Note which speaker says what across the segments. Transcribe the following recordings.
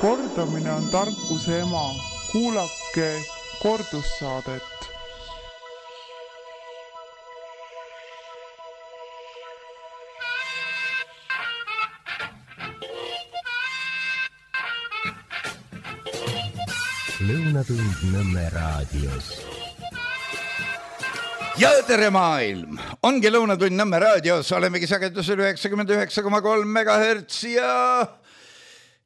Speaker 1: Kordamine on tarkuse ema. Kuulake kordussaadet.
Speaker 2: Lõunatund Nõmme raadios.
Speaker 3: Ja tere maailm! Ongi Lõunatund Nõmme raadios, olemegi sagedusel 99,3 MHz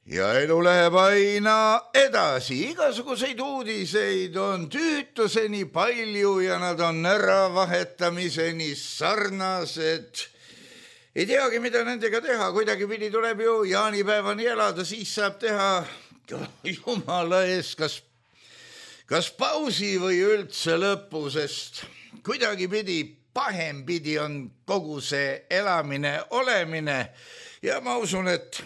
Speaker 3: ja elu läheb aina edasi. Igasuguseid uudiseid on tüütuseni palju ja nad on äravahetamiseni sarnased. Ei teagi, mida nendega teha, kuidagi pidi tuleb ju jaanipäevani elada, siis saab teha jumala ees kas pausi või üldse lõpu, sest kuidagi pidi, pahem pidi on kogu see elamine, olemine ja ma usun, et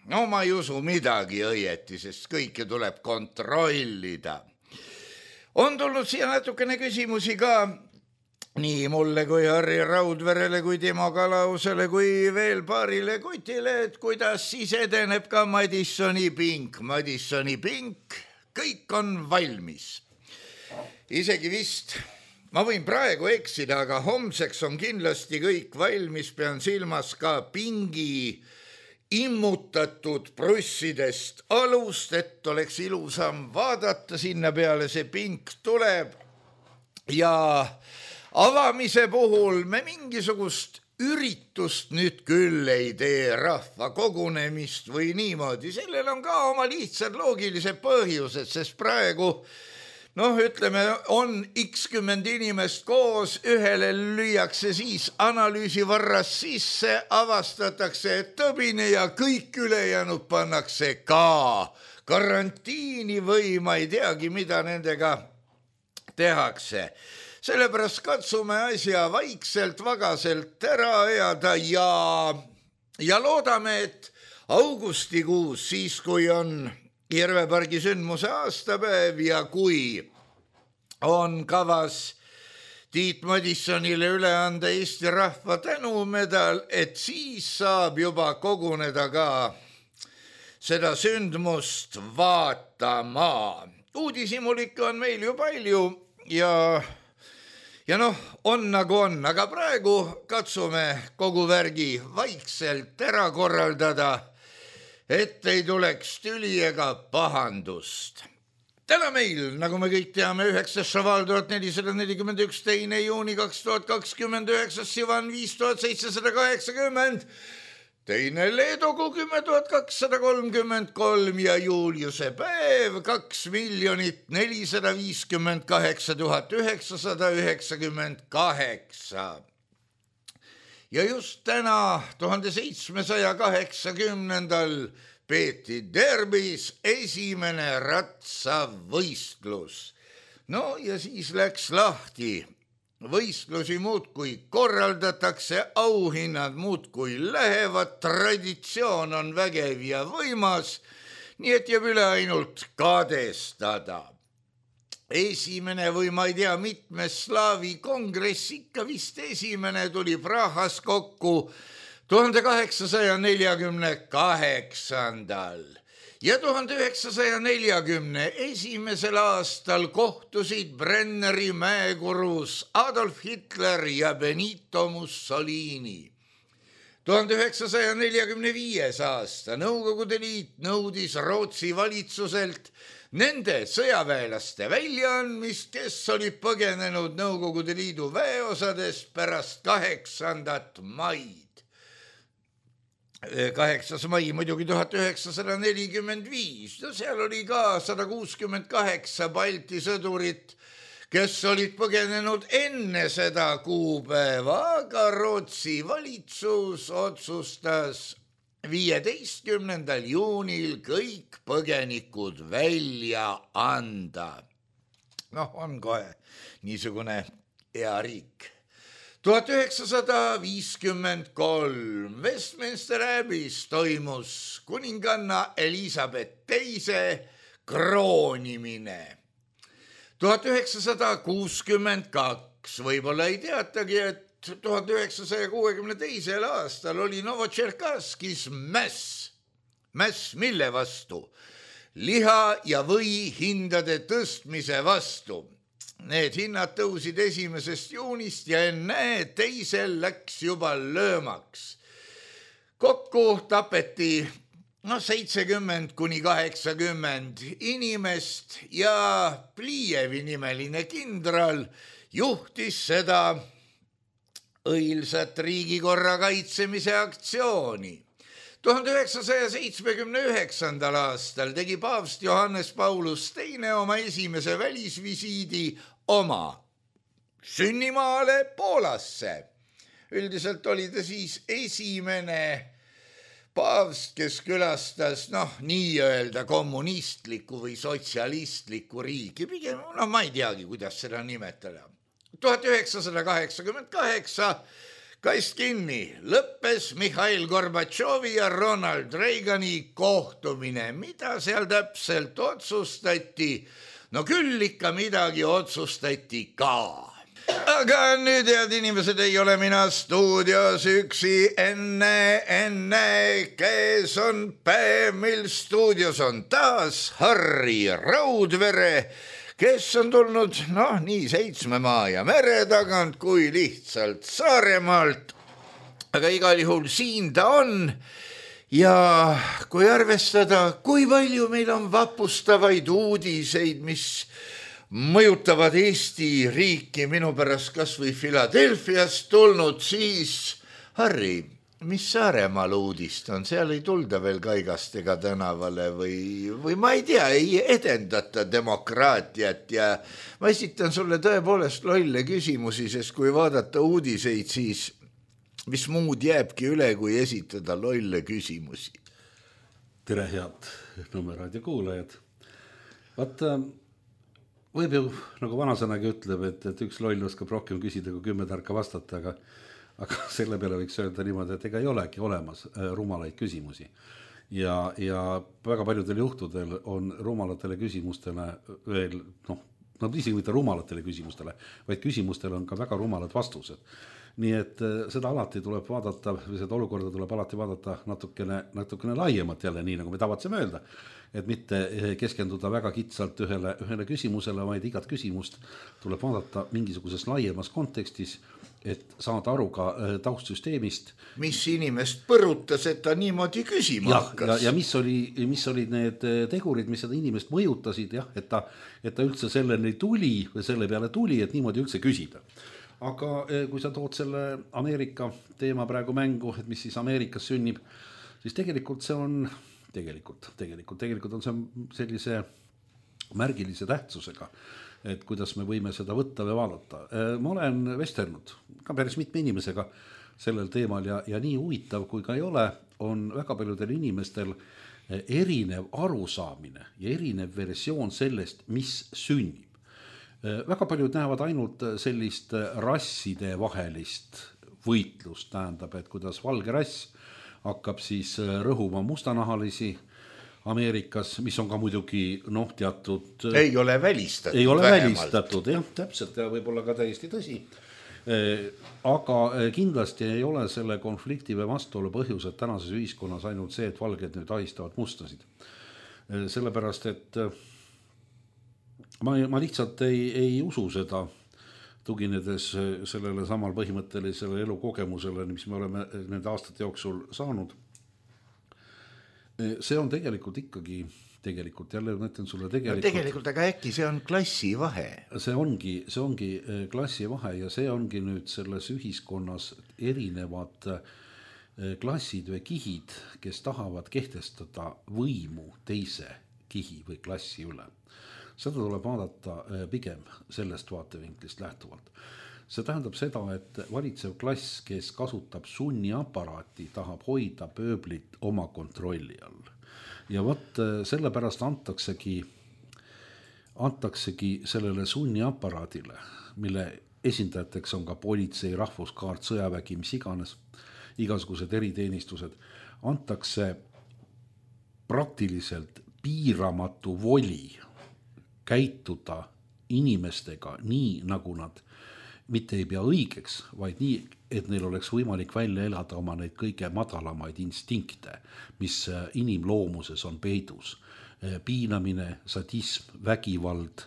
Speaker 3: ma ei usu midagi õieti, sest kõike tuleb kontrollida. On tulnud siia natukene küsimusi ka nii mulle kui Harri Raudverele kui Timo Kalausele kui veel paarile kutile, et kuidas siis edeneb ka Madissoni pink. Madissoni pink, kõik on valmis. Isegi vist, ma võin praegu eksida, aga homseks on kindlasti kõik valmis, pean silmas ka pingi immutatud prussidest alust, et oleks ilusam vaadata, sinna peale see pink tuleb ja avamise puhul me mingisugust üritust nüüd küll ei tee, rahva kogunemist või niimoodi. Sellel on ka oma lihtsad loogilised põhjused, sest praegu, ütleme, on x-10 inimest koos, ühele lüüakse siis analüüsivarras sisse, avastatakse tõbine ja kõik ülejäänud pannakse ka karantiini või ma ei teagi, mida nendega tehakse. Sellepärast katsume asja vaikselt, vagaselt ära ajada ja loodame, et augustikuus, siis kui on Järvepargi sündmuse aastapäev ja kui on kavas Tiit Madissonile üle anda Eesti rahva tänumedal, et siis saab juba koguneda ka seda sündmust vaatama. Uudisimulikke on meil ju palju ja on nagu on, aga praegu katsume kogu värgi vaikselt ära korraldada, et ei tuleks tüli ega pahandust. Täna meil, nagu me kõik teame, 9. šaval 1441, 2. juuni 2029, Sivan 5780, 2. leedugu 10,233 ja Juliuse päev 2 458 998. Ja just täna 1780. peeti derbis esimene ratsavõistlus. Ja siis läks lahti. Võistlusi muudkui korraldatakse, auhinnad muudkui lähevad, traditsioon on vägev ja võimas, nii et jääb üle ainult kadestada. Esimene või ma ei tea, mitmes slaavi kongress, ikka vist esimene tuli Prahas kokku 1848. Ja 1941. aastal kohtusid Brenneri mäekurus Adolf Hitler ja Benito Mussolini. 1945. aasta Nõukogude Liit nõudis Rootsi valitsuselt nende sõjaväelaste väljaandmist, kes olid põgenenud Nõukogude Liidu väeosadest pärast 8. maid. 8. mai muidugi 1945. Seal oli ka 168 Balti sõdurit, kes olid põgenenud enne seda kuupäeva, aga Rootsi valitsus otsustas 15. juunil kõik põgenikud välja anda. On kohe niisugune hea riik. 1953 Westminster Abbeys toimus kuninganna Elizabeth II kroonimine. 1962 võib-olla ei teatagi, et 1962. aastal oli Novotšerkasskis mäss. Mäss mille vastu? Liha ja või hindade tõstmise vastu. Need hinnad tõusid 1. juunist ja enne teisel läks juba löömaks. Kokku tapeti 70 kuni 80 inimest ja Pliievi nimeline kindral juhtis seda õilsat riigikorra kaitsemise aktsiooni. 1979. aastal tegi paavst Johannes Paulus II oma esimese välisvisiidi oma sünnimaale Poolasse. Üldiselt oli ta siis esimene paavst, kes külastas nii-öelda kommunistlikku või sotsialistlikku riiki. Pigem, ma ei teagi, kuidas seda nimetada. 1988 kast kinni lõppes Mihhail Gorbatšovi ja Ronald Reagani kohtumine. Mida seal täpselt otsustati? No küll ikka midagi otsustati ka. Aga nüüd, head inimesed, ei ole mina stuudios üksi. Enne, kes on Päemil stuudios, on taas Harri Raudvere, kes on tulnud nii 7 maa ja mere tagant kui lihtsalt Saaremaalt. Aga igal juhul siin ta on. Ja kui arvestada, kui palju meil on vapustavaid uudiseid, mis mõjutavad Eesti riiki, minu pärast kas või Philadelphiast tulnud, siis Harri, mis Saaremaal uudist on? Seal ei tulda veel Kaigastega tänavale või ma ei tea, ei edendata demokraatiat ja ma esitan sulle tõepoolest lolle küsimusi, sest kui vaadata uudiseid, siis mis muud jääbki üle, kui esitada lolle küsimusi?
Speaker 4: Tere, head Nõmme raadio kuulajad. Vaata, võib ju, nagu vanasõnagi ütleb, et üks loll oskab rohkem küsida kui 10 tarka vastata, aga selle peale võiks öelda niimoodi, et ega ei olegi olemas rumalaid küsimusi. Ja väga paljudel juhtudel on rumalatele küsimustele veel, isegi mitte rumalatele küsimustele, vaid küsimustele on ka väga rumalad vastused. Nii et seda alati tuleb vaadata, või seda olukorda tuleb alati vaadata natukene laiemat jälle, nii nagu me tavatseme öelda, et mitte keskenduda väga kitsalt ühele küsimusele, vaid igat küsimust tuleb vaadata mingisuguses laiemas kontekstis, et saada aru ka taustsüsteemist.
Speaker 3: Mis inimest põrutas, et ta niimoodi küsima hakkas?
Speaker 4: Ja mis olid need tegurid, mis seda inimest mõjutasid, et ta üldse selleni tuli või selle peale tuli, et niimoodi üldse küsida. Aga kui sa tood selle Ameerika teema praegu mängu, et mis siis Ameerikas sünnib, siis tegelikult see on see sellise märgilise tähtsusega, et kuidas me võime seda võtta või vaadata. Ma olen vestelnud ka päris mitme inimesega sellel teemal ja nii huvitav kui ka ei ole, on väga paljudel inimestel erinev arusaamine ja erinev versioon sellest, mis sünnib. Väga paljud näevad ainult sellist rasside vahelist võitlust, tähendab, et kuidas valge rass hakkab siis rõhuma mustanahalisi Ameerikas, mis on ka muidugi teatud...
Speaker 3: Ei ole välistatud.
Speaker 4: Ei ole välistatud, jah, täpselt ja võib-olla ka täiesti tõsi. Aga kindlasti ei ole selle konflikti või vastuolu põhjus, et tänases ühiskonnas ainult see, et valged nüüd ahistavad mustasid. Sellepärast, et ma lihtsalt ei usu seda, tuginedes sellele samal põhimõttelisele elukogemusele, mis me oleme nende aastate jooksul saanud. See on tegelikult ikkagi, jälle mõtlen sulle
Speaker 3: tegelikult, aga äkki see on klassivahe?
Speaker 4: See ongi klassivahe ja see ongi nüüd selles ühiskonnas erinevad klassid või kihid, kes tahavad kehtestada võimu teise kihi või klassi üle. Seda tuleb vaadata pigem sellest vaatevinklist lähtuvalt. See tähendab seda, et valitsev klass, kes kasutab sunniaparaati, tahab hoida pööblit oma kontrolli all. Ja sellepärast antaksegi sellele sunniaparaadile, mille esindajateks on ka politsei, rahvuskaart, sõjavägi, mis iganes, igasugused eriteenistused, antakse praktiliselt piiramatu voli käituda inimestega nii, nagu nad mitte ei pea õigeks, vaid nii, et neil oleks võimalik välja elada oma neid kõige madalamaid instinkte, mis inimloomuses on peidus. Piinamine, sadism, vägivald,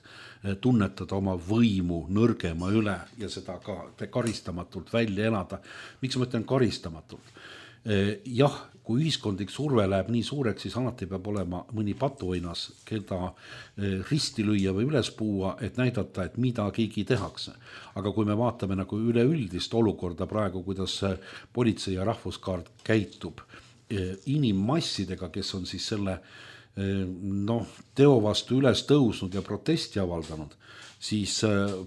Speaker 4: tunnetada oma võimu nõrgema üle ja seda ka karistamatult välja elada. Miks ma ütlen karistamatult? Jah, kui ühiskondlik surve läheb nii suureks, siis alati peab olema mõni patuoinas, keda risti lüüa või üles puua, et näidata, et mida keegi tehakse. Aga kui me vaatame nagu üleüldist olukorda praegu, kuidas politsei ja rahvuskaart käitub inimmassidega, kes on siis selle teo vastu üles tõusnud ja protesti avaldanud, siis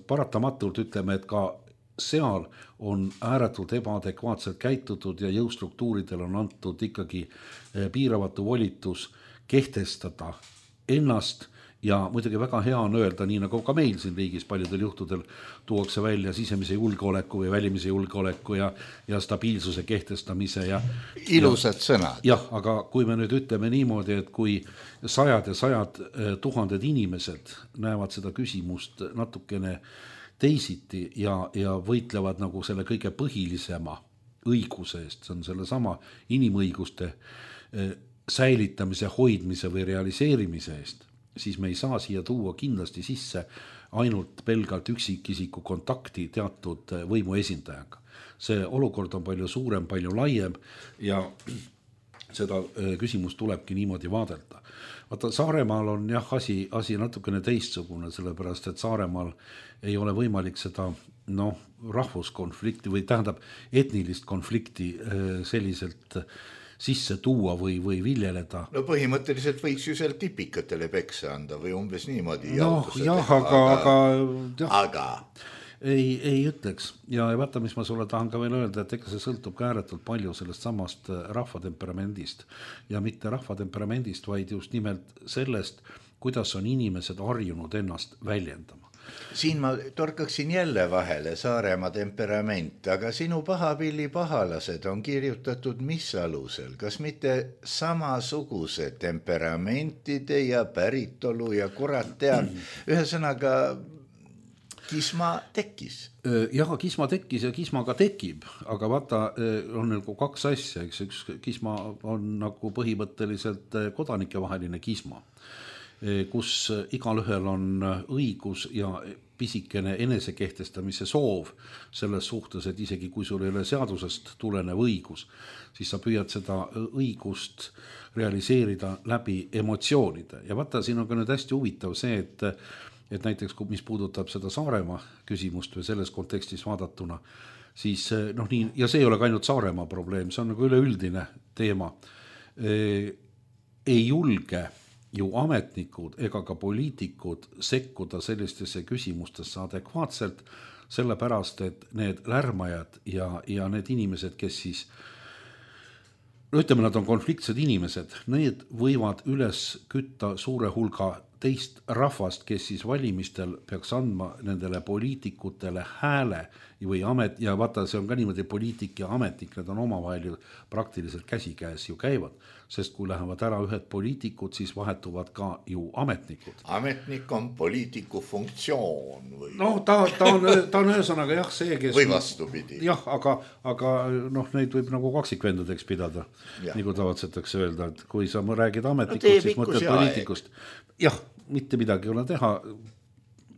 Speaker 4: paratamatult ütleme, et ka seal on ääretult ebaadekvaatselt käitutud ja jõustruktuuridel on antud ikkagi piiravatu volitus kehtestada ennast ja muidugi väga hea on öelda, nii nagu ka meil siin riigis paljudel juhtudel tuuakse välja sisemise julgeoleku või välimise julgeoleku ja stabiilsuse kehtestamise.
Speaker 3: Ilusad sõnad.
Speaker 4: Jah, aga kui me nüüd ütleme niimoodi, et kui sajad ja sajad tuhanded inimesed näevad seda küsimust natukene teisiti ja võitlevad nagu selle kõige põhilisema õiguse eest, see on selle sama inimõiguste säilitamise, hoidmise või realiseerimise eest, siis me ei saa siia tuua kindlasti sisse ainult pelgalt üksikisiku kontakti teatud võimu esindajaga. See olukord on palju suurem, palju laiem ja seda küsimust tulebki niimoodi vaadelda. Vaata, Saaremaal on jah asi natukene teistsugune, sellepärast, et Saaremaal ei ole võimalik seda rahvuskonflikti või tähendab etnilist konflikti selliselt sisse tuua või viljeleda.
Speaker 3: No põhimõtteliselt võiks ju seal tipikatele peksa anda või umbes niimoodi.
Speaker 4: Aga ei ütleks. Ja vaata, mis ma sulle tahan ka veel öelda, et ega see sõltub ka ääretult palju sellest samast rahvatemperamendist. Ja mitte rahvatemperamendist, vaid just nimelt sellest, kuidas on inimesed harjunud ennast väljendama.
Speaker 3: Siin ma torkaksin jälle vahele Saaremaa temperament, aga sinu pahapilli pahalased on kirjutatud mis alusel? Kas mitte samasuguse temperamentide ja päritolu ja kurat teab? Ühesõnaga kisma tekkis.
Speaker 4: Jah, kisma tekkis ja kisma ka tekib, aga vaata, on nagu kaks asja, eks üks kisma on nagu põhimõtteliselt kodanikevaheline kisma, kus igalühel on õigus ja pisikene enesekehtestamise soov selles suhtes, et isegi kui sul ei ole seadusest tulenev õigus, siis sa püüad seda õigust realiseerida läbi emotsioonide. Ja vaata, siin on ka nüüd hästi huvitav see, et näiteks mis puudutab seda Saaremaa küsimust või selles kontekstis vaadatuna, siis nii, ja see ei ole ka ainult Saaremaa probleem, see on nagu üleüldine teema. Ei julge ju ametnikud ega ka poliitikud sekkuda sellistesse küsimustesse adekvaatselt, sellepärast, et need lärmajad ja need inimesed, kes siis, ütleme, nad on konfliktsed inimesed, need võivad üles kütta suure hulga teist rahvast, kes siis valimistel peaks andma nendele poliitikutele hääle või amet, ja vaata, see on ka niimoodi poliitik ja ametnik, need on omavahel ju praktiliselt käsikäes ju käivad, sest kui lähevad ära ühed poliitikud, siis vahetuvad ka ju ametnikud.
Speaker 3: Ametnik on poliitiku funktsioon või?
Speaker 4: Ta on ühesõnaga jah see, kes...
Speaker 3: Või vastupidi.
Speaker 4: Jah, aga neid võib nagu kaksikvendadeks pidada, nagu tavatsetakse öelda, et kui sa räägid ametnikust, siis mõtled poliitikust. Jah, mitte midagi ei ole teha.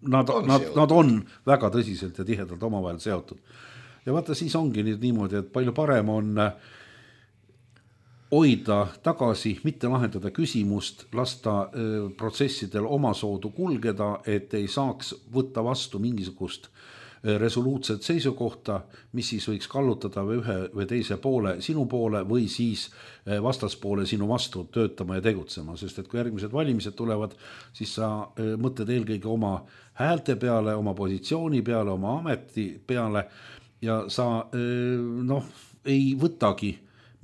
Speaker 4: Nad on väga tõsiselt ja tihedalt omavahel seotud. Ja vaata, siis ongi niimoodi, et palju parem on hoida tagasi, mitte lahendada küsimust, lasta protsessidel omasoodu kulgeda, et ei saaks võtta vastu mingisugust resoluutset seisukohta, mis siis võiks kallutada ühe või teise poole sinu poole või siis vastaspoole sinu vastu töötama ja tegutsema, sest et kui järgmised valimised tulevad, siis sa mõtled eelkõige oma häälte peale, oma positsiooni peale, oma ameti peale ja sa ei võtagi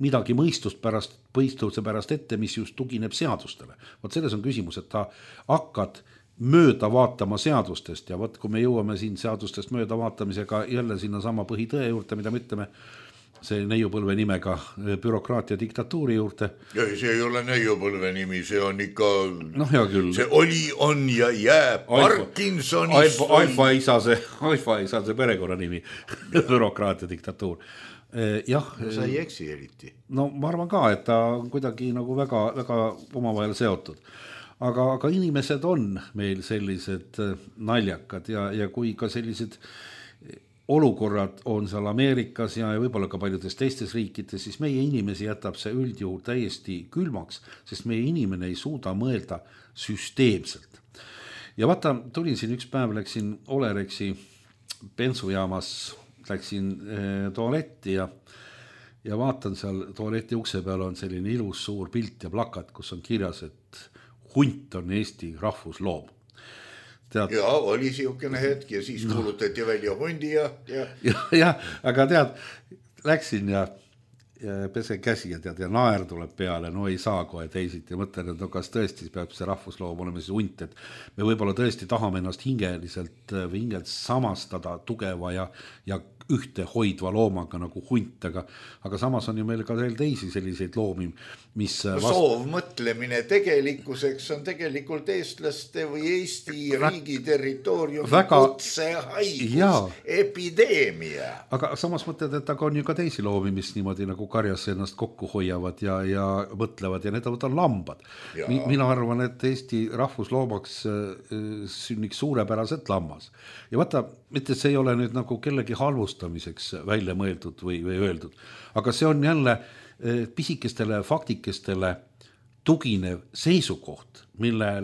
Speaker 4: midagi mõistuse pärast ette, mis just tugineb seadustele. Vot selles on küsimus, et ta hakkad mööda vaatama seadustest ja kui me jõuame siin seadustest mööda vaatamisega jälle sinna sama põhitõe juurde, mida me ütleme, see neiupõlve nimega bürokraatia diktatuuri juurde.
Speaker 3: Ja see ei ole neiupõlve nimi, see on ikka,
Speaker 4: hea küll.
Speaker 3: See oli, on ja jääb Parkinsonist.
Speaker 4: Alfa isa see perekonna nimi, bürokraatia diktatuur. Jah.
Speaker 3: Sa ei eksi eriti.
Speaker 4: No ma arvan ka, et ta on kuidagi nagu väga, väga omavahel seotud. Aga inimesed on meil sellised naljakad ja kui ka sellised olukorrad on seal Ameerikas ja võib-olla ka paljudes teistes riikides, siis meie inimesi jätab see üldjuhul täiesti külmaks, sest meie inimene ei suuda mõelda süsteemselt. Ja vaata, tulin siin üks päev, läksin Olerexi bensujaamas, läksin tualetti ja vaatan seal tualeti ukse peal on selline ilus suur pilt ja plakat, kus on kirjas, et hunt on Eesti rahvusloom.
Speaker 3: Ja oli siukene hetk ja siis kuulutati välja hundi
Speaker 4: ja, aga tead, läksin ja pesen käsi ja naer tuleb peale, no ei saa kohe teisiti ja mõtlen, et no kas tõesti peab see rahvusloom olema siis hunt, et me võib-olla tõesti tahame ennast hingeliselt või hingelt samastada tugeva ja ühte hoidva loomaga nagu hunt, aga samas on ju meil ka veel teisi selliseid loomi, mis
Speaker 3: soovmõtlemine tegelikkuseks on tegelikult eestlaste või Eesti riigi territooriumi kutsehaigus, epideemia. Aga
Speaker 4: samas mõtled, et aga on ju ka teisi loomi, mis niimoodi nagu karjas ennast kokku hoiavad ja mõtlevad ja need on lambad. Mina arvan, et Eesti rahvusloomaks sünniks suurepäraselt lammas. Ja vaata, mitte see ei ole nüüd nagu kellegi halvustamiseks välja mõeldud või öeldud, aga see on jälle pisikestele faktikestele tuginev seisukoht, mille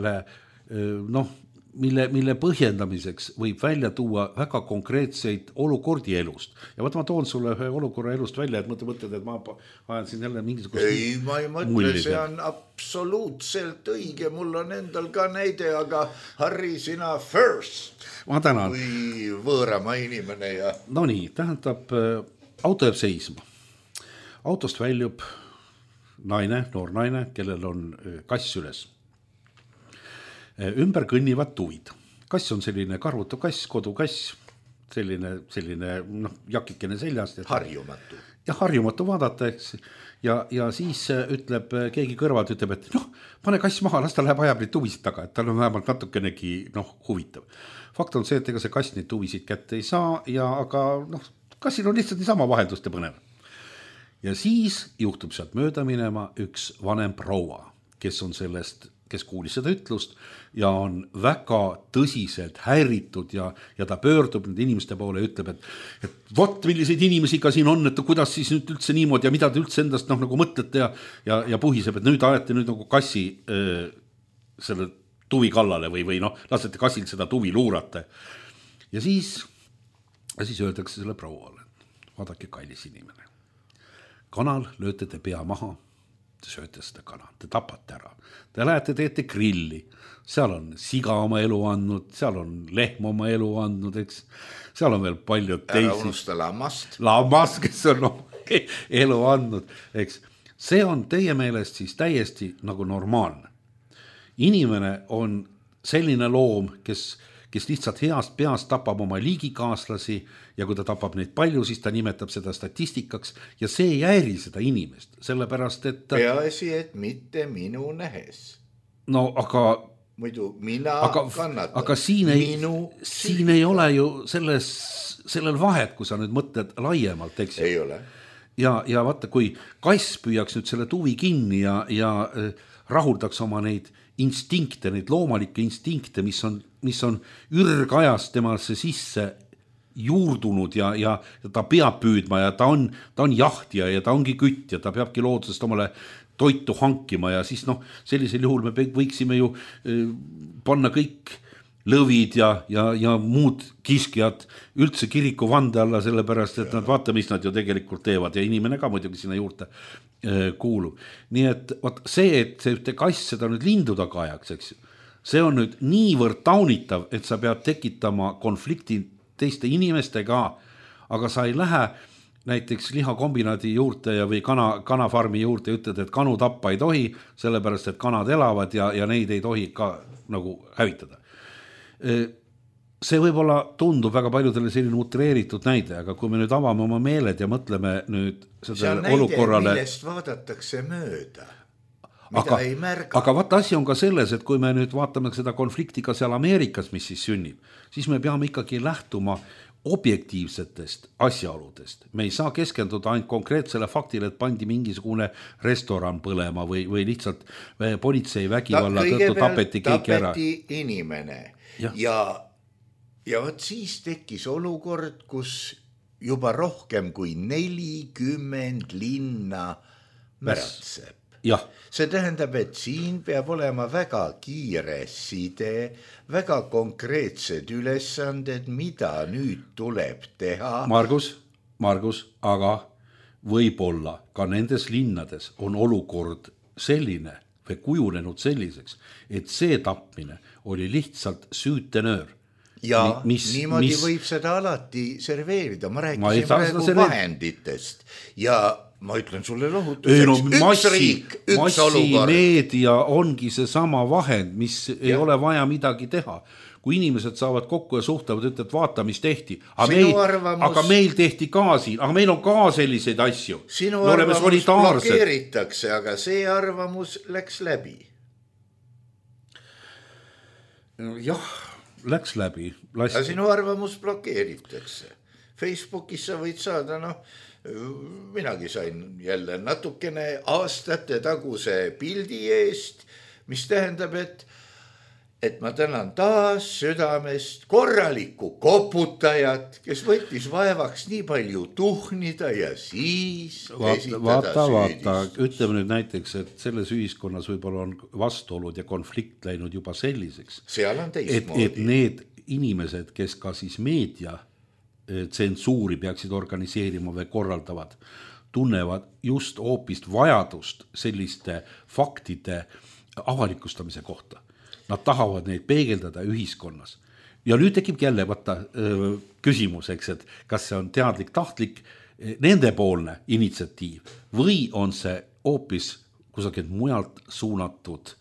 Speaker 4: põhjendamiseks võib välja tuua väga konkreetseid olukordi elust. Ja ma toon sulle ühe olukorra elust välja, et mõtled, et ma ajan siin jälle mingisugust
Speaker 3: ei, ma ei mõtle, see on absoluutselt õige, mul on endal ka näide, aga Harri, sina first.
Speaker 4: Ma tänan.
Speaker 3: Kui võõrama inimene ja...
Speaker 4: No nii, tähendab, auto jääb seisma. Autost väljub noor naine, kellel on kass üles. Ümber kõnnivad tuvid. Kass on selline karvutu kass, kodukass, selline jakikene seljast.
Speaker 3: Harjumatu.
Speaker 4: Ja harjumatu vaadata, eks. Ja siis ütleb keegi kõrvalt, ütleb, et pane kass maha, las ta läheb ajab neid tuvisid taga, et tal on vähemalt natukenegi huvitav. Fakt on see, et ega see kass neid tuvisid kätte ei saa, aga kassil on lihtsalt niisama vahelduste põnev. Ja siis juhtub sealt mööda minema üks vanem proua, kes kuulis seda ütlust ja on väga tõsiselt häiritud ja ta pöördub nende inimeste poole ja ütleb, et vot milliseid inimesi ka siin on, et kuidas siis nüüd üldse niimoodi ja mida te üldse endast nagu mõtlete ja puhiseb, et nüüd ajate nüüd nagu kassi selle tuvi kallale või lasete kassil seda tuvi luurata. Ja siis öeldakse selle prouale, vaadake kallis inimene. Kanal lööte te pea maha, te sööte seda kana, te tapate ära. Te lähete, teete grilli, seal on siga oma elu andnud, seal on lehm oma elu andnud, eks. Seal on veel palju teisi.
Speaker 3: Ära unusta lammast.
Speaker 4: Lammast, kes on elu andnud, eks. See on teie meelest siis täiesti nagu normaalne. Inimene on selline loom, kes lihtsalt heast peast tapab oma liigikaaslasi ja kui ta tapab neid palju, siis ta nimetab seda statistikaks ja see ei häiri seda inimest, sellepärast, et...
Speaker 3: Peaasi, et mitte minu nähes.
Speaker 4: No, aga...
Speaker 3: Muidu mina kannatan.
Speaker 4: Aga siin ei ole ju sellel vahet, kui sa nüüd mõtled laiemalt, eks?
Speaker 3: Ei ole.
Speaker 4: Ja vaata, kui kass püüaks nüüd selle tuvi kinni ja rahuldaks oma neid instinkte, neid loomalikke instinkte, mis on ürgajast temasse sisse juurdunud ja ta peab püüdma ja ta on jahtija ja ta ongi kütt ja ta peabki loodusest omale toitu hankima ja siis sellisel juhul me võiksime ju panna kõik lõvid ja muud kiskjad üldse kiriku vande alla, sellepärast, et nad vaata, mis nad ju tegelikult teevad ja inimene ka muidugi sinna juurde kuulub. Nii et see, et see ühte kass seda nüüd lindu taga ajaks, eks, see on nüüd niivõrd taunitav, et sa pead tekitama konflikti teiste inimestega, aga sa ei lähe näiteks lihakombinaadi juurde või kanafarmi juurde ja ütled, et kanu tappa ei tohi, sellepärast, et kanad elavad ja neid ei tohi ka nagu hävitada. see võib-olla tundub väga paljudele selline utreeritud näide, aga kui me nüüd avame oma meeled ja mõtleme nüüd sellele olukorrale.
Speaker 3: Millest vaadatakse mööda, mida ei märga.
Speaker 4: Aga vaata, asi on ka selles, et kui me nüüd vaatame seda konflikti ka seal Ameerikas, mis siis sünnib, siis me peame ikkagi lähtuma objektiivsetest asjaoludest. Me ei saa keskenduda ainult konkreetsele faktile, et pandi mingisugune restoran põlema või lihtsalt politsei vägivalla tõttu tapeti keegi ära.
Speaker 3: Tapeti inimene ja võt siis tekkis olukord, kus juba rohkem kui 40 linna märatseb.
Speaker 4: Jah.
Speaker 3: See tähendab, et siin peab olema väga kiire side, väga konkreetsed ülesanded, mida nüüd tuleb teha.
Speaker 4: Margus, aga võib-olla ka nendes linnades on olukord selline või kujunenud selliseks, et see tapmine oli lihtsalt süütenöör.
Speaker 3: Ja niimoodi võib seda alati serveerida. Ma rääkisin praegu vahenditest ja ma ütlen sulle lohutuseks, üks riik, üks olukord.
Speaker 4: Massimeedia ongi see sama vahend, mis ei ole vaja midagi teha. Kui inimesed saavad kokku ja suhtlevad, ütlevad, vaata, mis tehti. Aga meil tehti ka siin, aga meil on ka selliseid asju.
Speaker 3: Sinu arvamus blokeeritakse, aga see arvamus läks läbi.
Speaker 4: Jah, läks läbi.
Speaker 3: Aga sinu arvamus blokeeritakse. Facebookis sa võid saada, minagi sain jälle natukene aastate taguse pildi eest, mis tähendab, et ma tänan taas südamest korralikku koputajat, kes võttis vaevaks nii palju tuhnida ja siis esitada süüdist.
Speaker 4: Ütleme nüüd näiteks, et selles ühiskonnas võib-olla on vastuolud ja konflikt läinud juba selliseks.
Speaker 3: Seal on teistmoodi.
Speaker 4: Et need inimesed, kes ka siis meedia tsensuuri peaksid organiseerima või korraldavad, tunnevad just hoopis vajadust selliste faktide avalikustamise kohta. Nad tahavad neid peegeldada ühiskonnas. Ja nüüd tekib jälle küsimus, et kas see on teadlik, tahtlik, nendepoolne initsiatiiv või on see hoopis kusagilt mujalt suunatud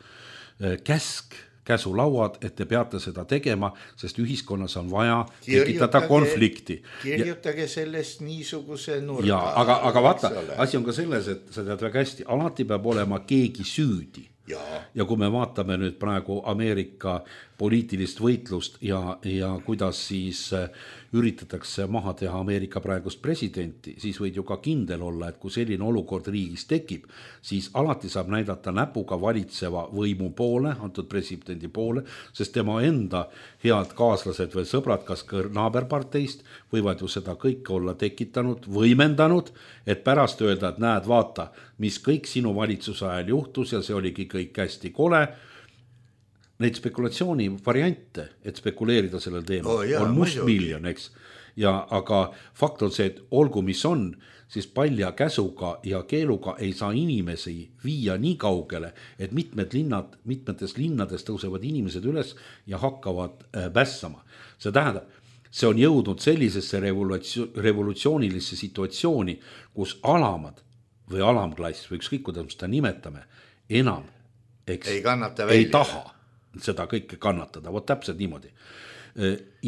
Speaker 4: käsulauad, et te peate seda tegema, sest ühiskonnas on vaja tekitada konflikti.
Speaker 3: Kirjutage sellest niisuguse nurga.
Speaker 4: Ja, aga vaata, asi on ka selles, et sa tead väga hästi, alati peab olema keegi süüdi. Ja kui me vaatame nüüd praegu Ameerika poliitilist võitlust ja kuidas siis üritatakse maha teha Ameerika praegust presidenti, siis võid ju ka kindel olla, et kui selline olukord riigis tekib, siis alati saab näidata näpuga valitseva võimu poole, antud presidendi poole, sest tema enda head kaaslased või sõbrad, kas ka naaberparteist, võivad ju seda kõike olla tekitanud, võimendanud, et pärast öelda, et näed, vaata, mis kõik sinu valitsuse ajal juhtus ja see oligi kõik hästi kole. Neid spekulatsiooni variante, et spekuleerida sellel teemal, on mustmiljon, eks. Aga fakt on see, et olgu mis on, siis palja käsuga ja keeluga ei saa inimesi viia nii kaugele, et mitmetes linnades tõusevad inimesed üles ja hakkavad vässama. See tähendab, see on jõudnud sellisesse revolutsioonilisse situatsiooni, kus alamad või alamklass või ükskõik, kuidas me seda nimetame, enam ei taha seda kõike kannatada, vot täpselt niimoodi.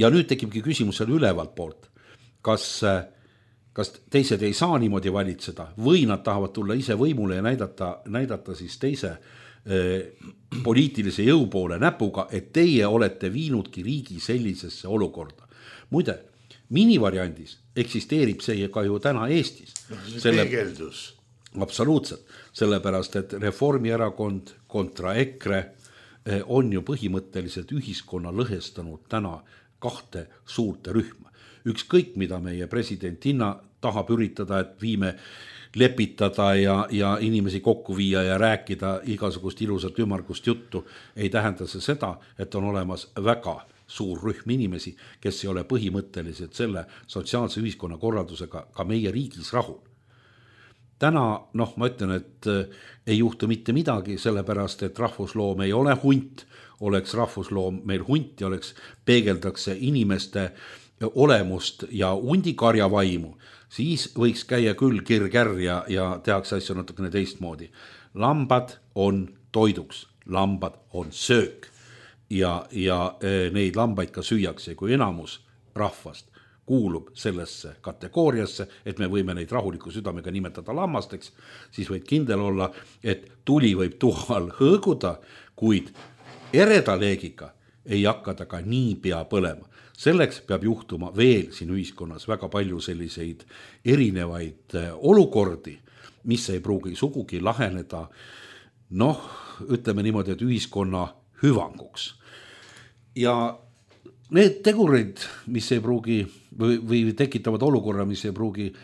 Speaker 4: Ja nüüd tekibki küsimus seal ülevalt poolt, kas teised ei saa niimoodi valitseda või nad tahavad tulla ise võimule ja näidata siis teise poliitilise jõu poole näpuga, et teie olete viinudki riigi sellisesse olukorda. Muide, minivariandis eksisteerib see ka ju täna Eestis.
Speaker 3: Peegeldus.
Speaker 4: Absoluutselt, sellepärast, et Reformierakond kontra EKRE on ju põhimõtteliselt ühiskonna lõhestanud täna kahte suurte rühma. Ükskõik, mida meie presidentina tahab üritada, et viime lepitada ja inimesi kokku viia ja rääkida igasugust ilusat ümmargust juttu, ei tähenda see seda, et on olemas väga suur rühm inimesi, kes ei ole põhimõtteliselt selle sotsiaalse ühiskonna korraldusega ka meie riigis rahul. Täna, ma ütlen, et ei juhtu mitte midagi, sellepärast, et rahvusloom ei ole hunt, oleks rahvusloom meil hunt ja peegeldakse inimeste olemust ja hundikarja vaimu, siis võiks käia küll kirgär ja tehakse asju natukene teistmoodi. Lambad on toiduks, lambad on söök. ja neid lambaid ka süüakse, kui enamus rahvast kuulub sellesse kategooriasse, et me võime neid rahuliku südamega nimetada lammasteks, siis võid kindel olla, et tuli võib tuhal hõõguda, kuid ereda leegiga ei hakka ta ka nii pea põlema. Selleks peab juhtuma veel siin ühiskonnas väga palju selliseid erinevaid olukordi, mis ei pruugi sugugi laheneda, ütleme niimoodi, et ühiskonna hüvanguks. Ja need tegurid, mis ei pruugi või tekitavad olukorra, mis ei pruugi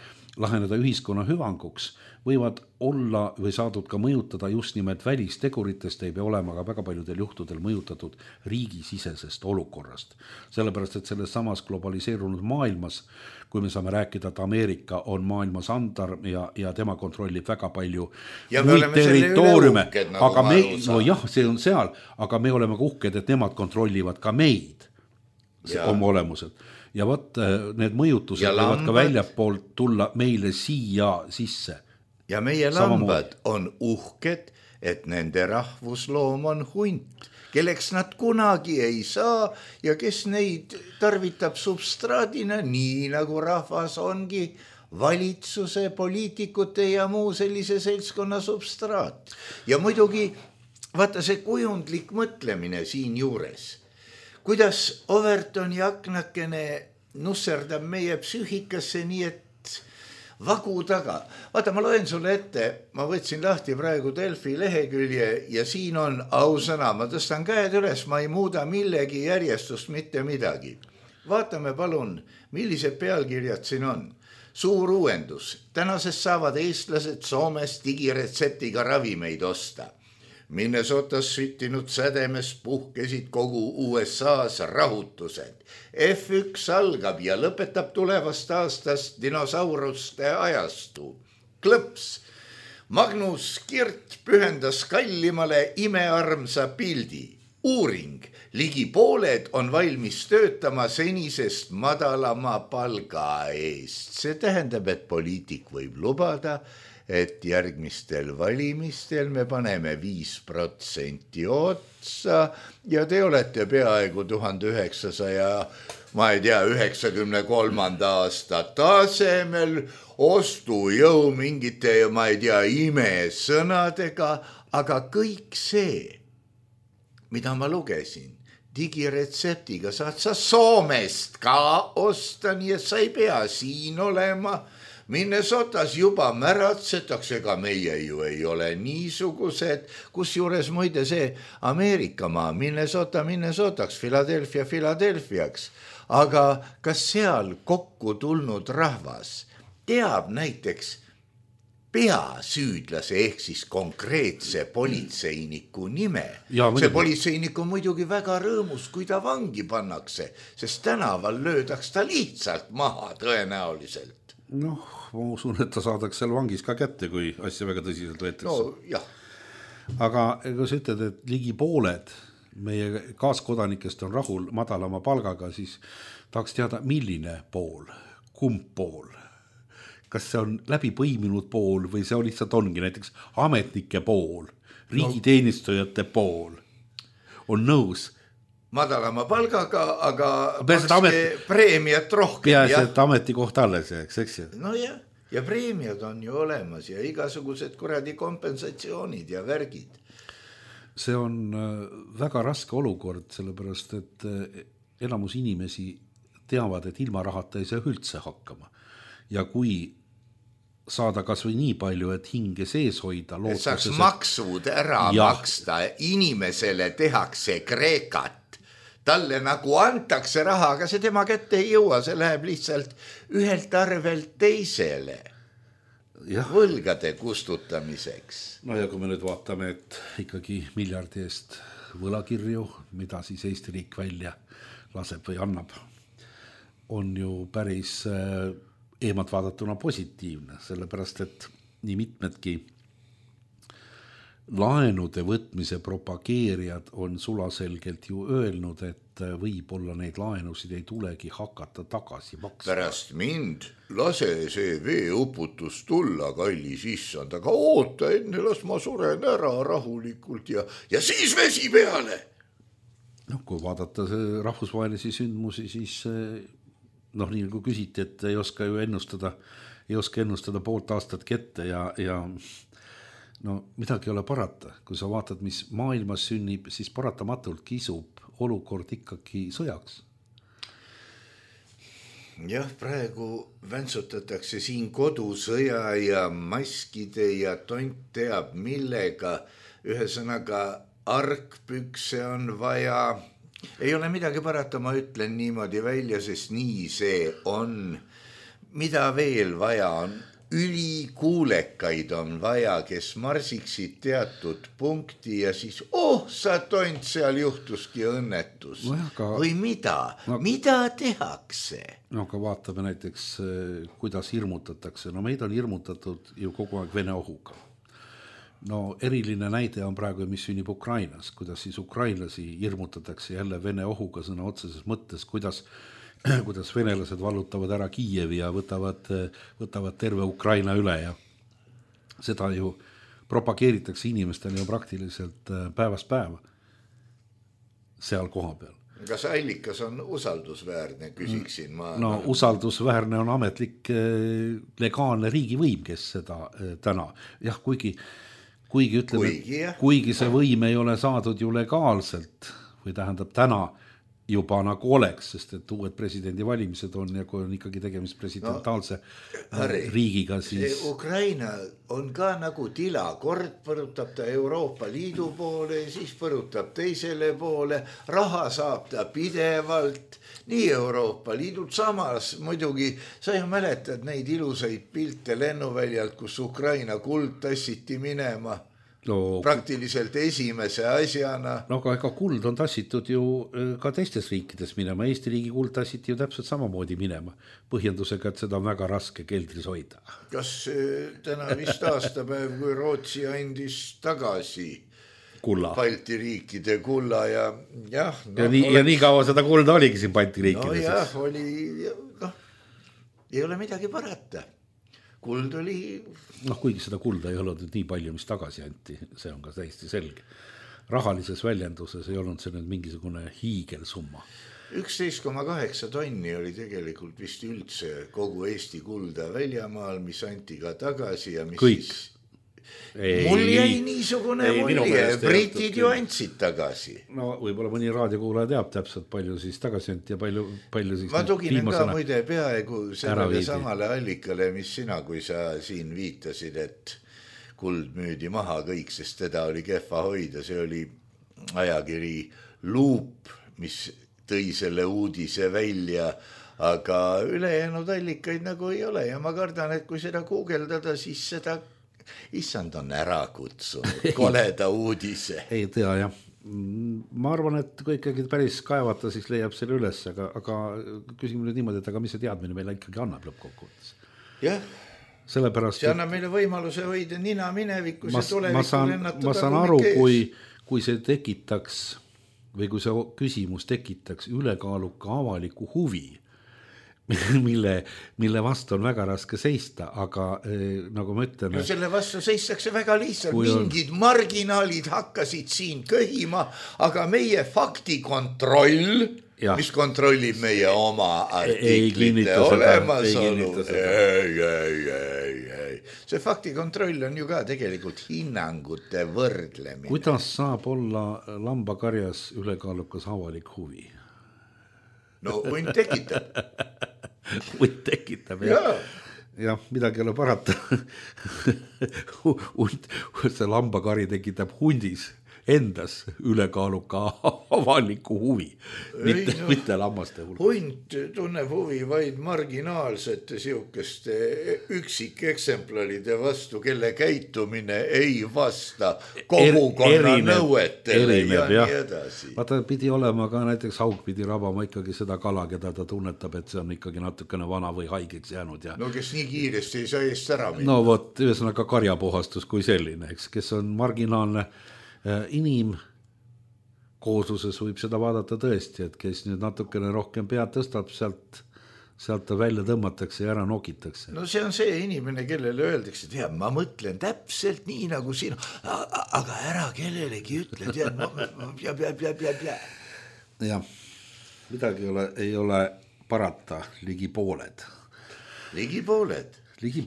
Speaker 4: laheneda ühiskonna hüvanguks, võivad olla või saadud ka mõjutada just nimelt välisteguritest, ei pea olema ka väga paljudel juhtudel mõjutatud riigisisesest olukorrast. Sellepärast, et selles samas globaliseerunud maailmas, kui me saame rääkida, et Ameerika on maailmas andar ja tema kontrollib väga palju muid territooriume, aga see on seal, aga me oleme ka uhked, et nemad kontrollivad ka meid oma olemuselt. Ja võt, need mõjutused võivad ka väljapoolt tulla meile siia sisse.
Speaker 3: Ja meie lambad on uhked, et nende rahvusloom on hunt, kelleks nad kunagi ei saa ja kes neid tarvitab substraadina, nii nagu rahvas ongi valitsuse, poliitikute ja muu sellise seltskonna substraat. Ja muidugi, vaata see kujundlik mõtlemine siin juures. Kuidas Overtoni aknakene nusserdab meie psüühikasse nii, et vagu taga. Vaata, ma loen sulle ette, ma võtsin lahti praegu Delfi lehekülje ja siin on ausõna, ma tõstan käed üles, ma ei muuda millegi järjestust mitte midagi. Vaatame palun, millised pealkirjad siin on. Suur uuendus. Tänasest saavad eestlased Soomes digiretseptiga ravimeid osta. Minnesotas süttinud sädemes puhkesid kogu USA's rahutused. F1 algab ja lõpetab tulevast aastast dinosauruste ajastu. Klõps. Magnus Kirt pühendas kallimale imearmsa pildi. Uuring. Ligi pooled on valmis töötama senisest madalama palga eest. See tähendab, et poliitik võib lubada, et järgmistel valimistel me paneme 5% otsa ja te olete peaaegu 1993. aasta tasemel ostujõu mingite, imesõnadega, aga kõik see, mida ma lugesin, digiretseptiga saad sa Soomest ka osta, nii et sa ei pea siin olema. Minnesotas juba märatsetakse, ega meie ju ei ole niisugused, kusjuures muide see Ameerikamaa, Minnesotaks, Philadelphiaks, aga kas seal kokku tulnud rahvas teab näiteks peasüüdlase ehk siis konkreetse politseiniku nime? See politseinik on muidugi väga rõõmus, kui ta vangi pannakse, sest tänaval löödaks ta lihtsalt maha tõenäoliselt.
Speaker 4: Ma usun, et ta saadaks seal vangis ka kätte, kui asja väga tõsiselt võetakse. Aga kui sa ütled, et ligi pooled meie kaaskodanikest on rahul madalama palgaga, siis tahaks teada, milline pool, kumb pool. Kas see on läbi põiminud pool või see on lihtsalt ongi näiteks ametnike pool, riigiteenistujate pool on nõus
Speaker 3: madalama palgaga, aga preemiat rohkem.
Speaker 4: Peaasi, et ametikoht alles jääks, eks ju?
Speaker 3: No jah, ja preemiad on ju olemas ja igasugused kuradi kompensatsioonid ja värgid.
Speaker 4: See on väga raske olukord, sellepärast, et enamus inimesi teavad, et ilma rahata ei saa üldse hakkama. Ja kui saada kas või nii palju, et hinge sees hoida.
Speaker 3: Et saaks maksud ära maksta, inimesele tehakse kreekat. Talle nagu antakse raha, aga see tema kätte ei jõua, see läheb lihtsalt ühelt arvelt teisele võlgade kustutamiseks.
Speaker 4: No ja kui me nüüd vaatame, et ikkagi miljardi eest võlakirju, mida siis Eesti riik välja laseb või annab, on ju päris eemalt vaadatuna positiivne, sellepärast et nii mitmedki laenude võtmise propageerijad on sulaselgelt ju öelnud, et võib-olla neid laenusid ei tulegi hakata tagasi maksma.
Speaker 3: Pärast mind lase see veeuputus tulla, kallis issand, aga oota enne, las ma suren ära rahulikult ja siis vesi peale.
Speaker 4: No, kui vaadata rahvusvahelisi sündmusi, siis nii nagu küsiti, et ei oska ju ennustada poolt aastatki ette ja no midagi ei ole parata. Kui sa vaatad, mis maailmas sünnib, siis paratamatult kisub olukord ikkagi sõjaks.
Speaker 3: Jah, praegu väntsutatakse siin kodusõja ja maskide ja tont teab millega. Ühesõnaga argpükse on vaja, ei ole midagi parata, ma ütlen niimoodi välja, sest nii see on. Mida veel vaja on? Ülikuulekaid on vaja, kes marsiksid teatud punkti ja siis, sa tont, seal juhtuski õnnetus. Või mida? Mida tehakse?
Speaker 4: No aga vaatame näiteks, kuidas hirmutatakse. No meid on hirmutatud ju kogu aeg Vene ohuga. No eriline näide on praegu, mis sünnib Ukrainas, kuidas siis ukrainlasi hirmutatakse jälle Vene ohuga sõna otseses mõttes, kuidas venelased vallutavad ära Kiievi ja võtavad terve Ukraina üle ja seda ju propageeritakse inimestele ju praktiliselt päevast päeva seal koha peal.
Speaker 3: Kas allikas on usaldusväärne, küsiksin ma?
Speaker 4: No usaldusväärne on ametlik legaalne riigivõim, kes seda täna. Jah, kuigi see võim ei ole saadud ju legaalselt või tähendab täna juba nagu oleks, sest et uued presidendivalimised on ja kui on ikkagi tegemist presidentaalse riigiga, siis...
Speaker 3: Ukraina on ka nagu tila, kord põrutab ta Euroopa Liidu poole, siis põrutab teisele poole, raha saab ta pidevalt, nii Euroopa Liidult samas muidugi, sa ju mäletad neid ilusaid pilte lennuväljalt, kus Ukraina kuld tassiti minema. Praktiliselt esimese asjana.
Speaker 4: No aga kuld on tassitud ju ka teistes riikides minema. Eesti riigi kuld tassiti ju täpselt samamoodi minema. Põhjendusega, et seda on väga raske keldris hoida.
Speaker 3: Kas täna vist aastapäev, kui Rootsi andis tagasi
Speaker 4: kulla.
Speaker 3: Balti riikide kulla ja jah.
Speaker 4: Ja nii kaua seda kulda oligi siin Balti riikides.
Speaker 3: No jah, oli, ei ole midagi parata. Kuld oli...
Speaker 4: kuigi seda kulda ei olnud nii palju, mis tagasi anti, see on ka täiesti selge. Rahalises väljenduses ei olnud see nüüd mingisugune hiigelsumma. 11,8 tonni oli tegelikult vist üldse kogu Eesti kulda väljamaal, mis anti ka tagasi ja mis kõik.
Speaker 3: Siis... Mul jäi niisugune mulje, britid ju andsid tagasi.
Speaker 4: No võib-olla mõni raadiokuulaja teab täpselt palju siis tagasi anti ja palju siis...
Speaker 3: Ma tuginen ka muide peaaegu sellele samale allikale, mis sina, kui sa siin viitasid, et kuld müüdi maha kõik, sest teda oli kehva hoida. See oli ajakiri Loop, mis tõi selle uudise välja, aga ülejäänud allikaid nagu ei ole ja ma kardan, et kui seda guugeldada, siis seda issand on ära kutsunud koleda uudise.
Speaker 4: Ei tea jah. Ma arvan, et kui ikkagi päris kaevata, siis leiab selle üles, aga küsime nüüd niimoodi, et aga mis see teadmine meile ikkagi annab lõppkokkuvõttes?
Speaker 3: Jah,
Speaker 4: sellepärast,
Speaker 3: see annab meile võimaluse hoida nina minevikus ja tulevikku lennatada.
Speaker 4: Ma saan aru, kui see tekitaks või kui see küsimus tekitaks ülekaaluka avaliku huvi, mille vastu on väga raske seista, aga nagu ma ütlen...
Speaker 3: No selle vastu seistakse väga lihtsalt, mingid marginaalid hakkasid siin köhima, aga meie faktikontroll, mis kontrollib meie oma artiklite olemasolu. Ei. See faktikontroll on ju ka tegelikult hinnangute võrdlemine.
Speaker 4: Kuidas saab olla lambakarjas ülekaalukas avalik huvi?
Speaker 3: No hunt tekitab.
Speaker 4: Hunt tekitab, jah, midagi ei ole parata. See lambakari tekitab hundis endas ülekaaluka avaliku huvi, mitte lammaste hulk.
Speaker 3: Hunt tunneb huvi vaid marginaalsete siukeste üksikeksemplaride vastu, kelle käitumine ei vasta kogukonna nõuetele ja nii edasi.
Speaker 4: Vaata, pidi olema ka näiteks haug pidi rabama ikkagi seda kala, keda ta tunnetab, et see on ikkagi natukene vana või haigeks jäänud. Ja...
Speaker 3: No kes nii kiiresti ei saa eest ära minna.
Speaker 4: No vot, ühesõnaga karjapuhastus kui selline, eks, kes on marginaalne inimkoosluses võib seda vaadata tõesti, et kes nüüd natukene rohkem pead tõstab, sealt ta välja tõmmatakse ja ära nokitakse.
Speaker 3: No see on see inimene, kellele öeldakse, et ma mõtlen täpselt nii nagu sina, aga ära kellelegi ütle, tead,
Speaker 4: jah, midagi ei ole parata, ligi pooled.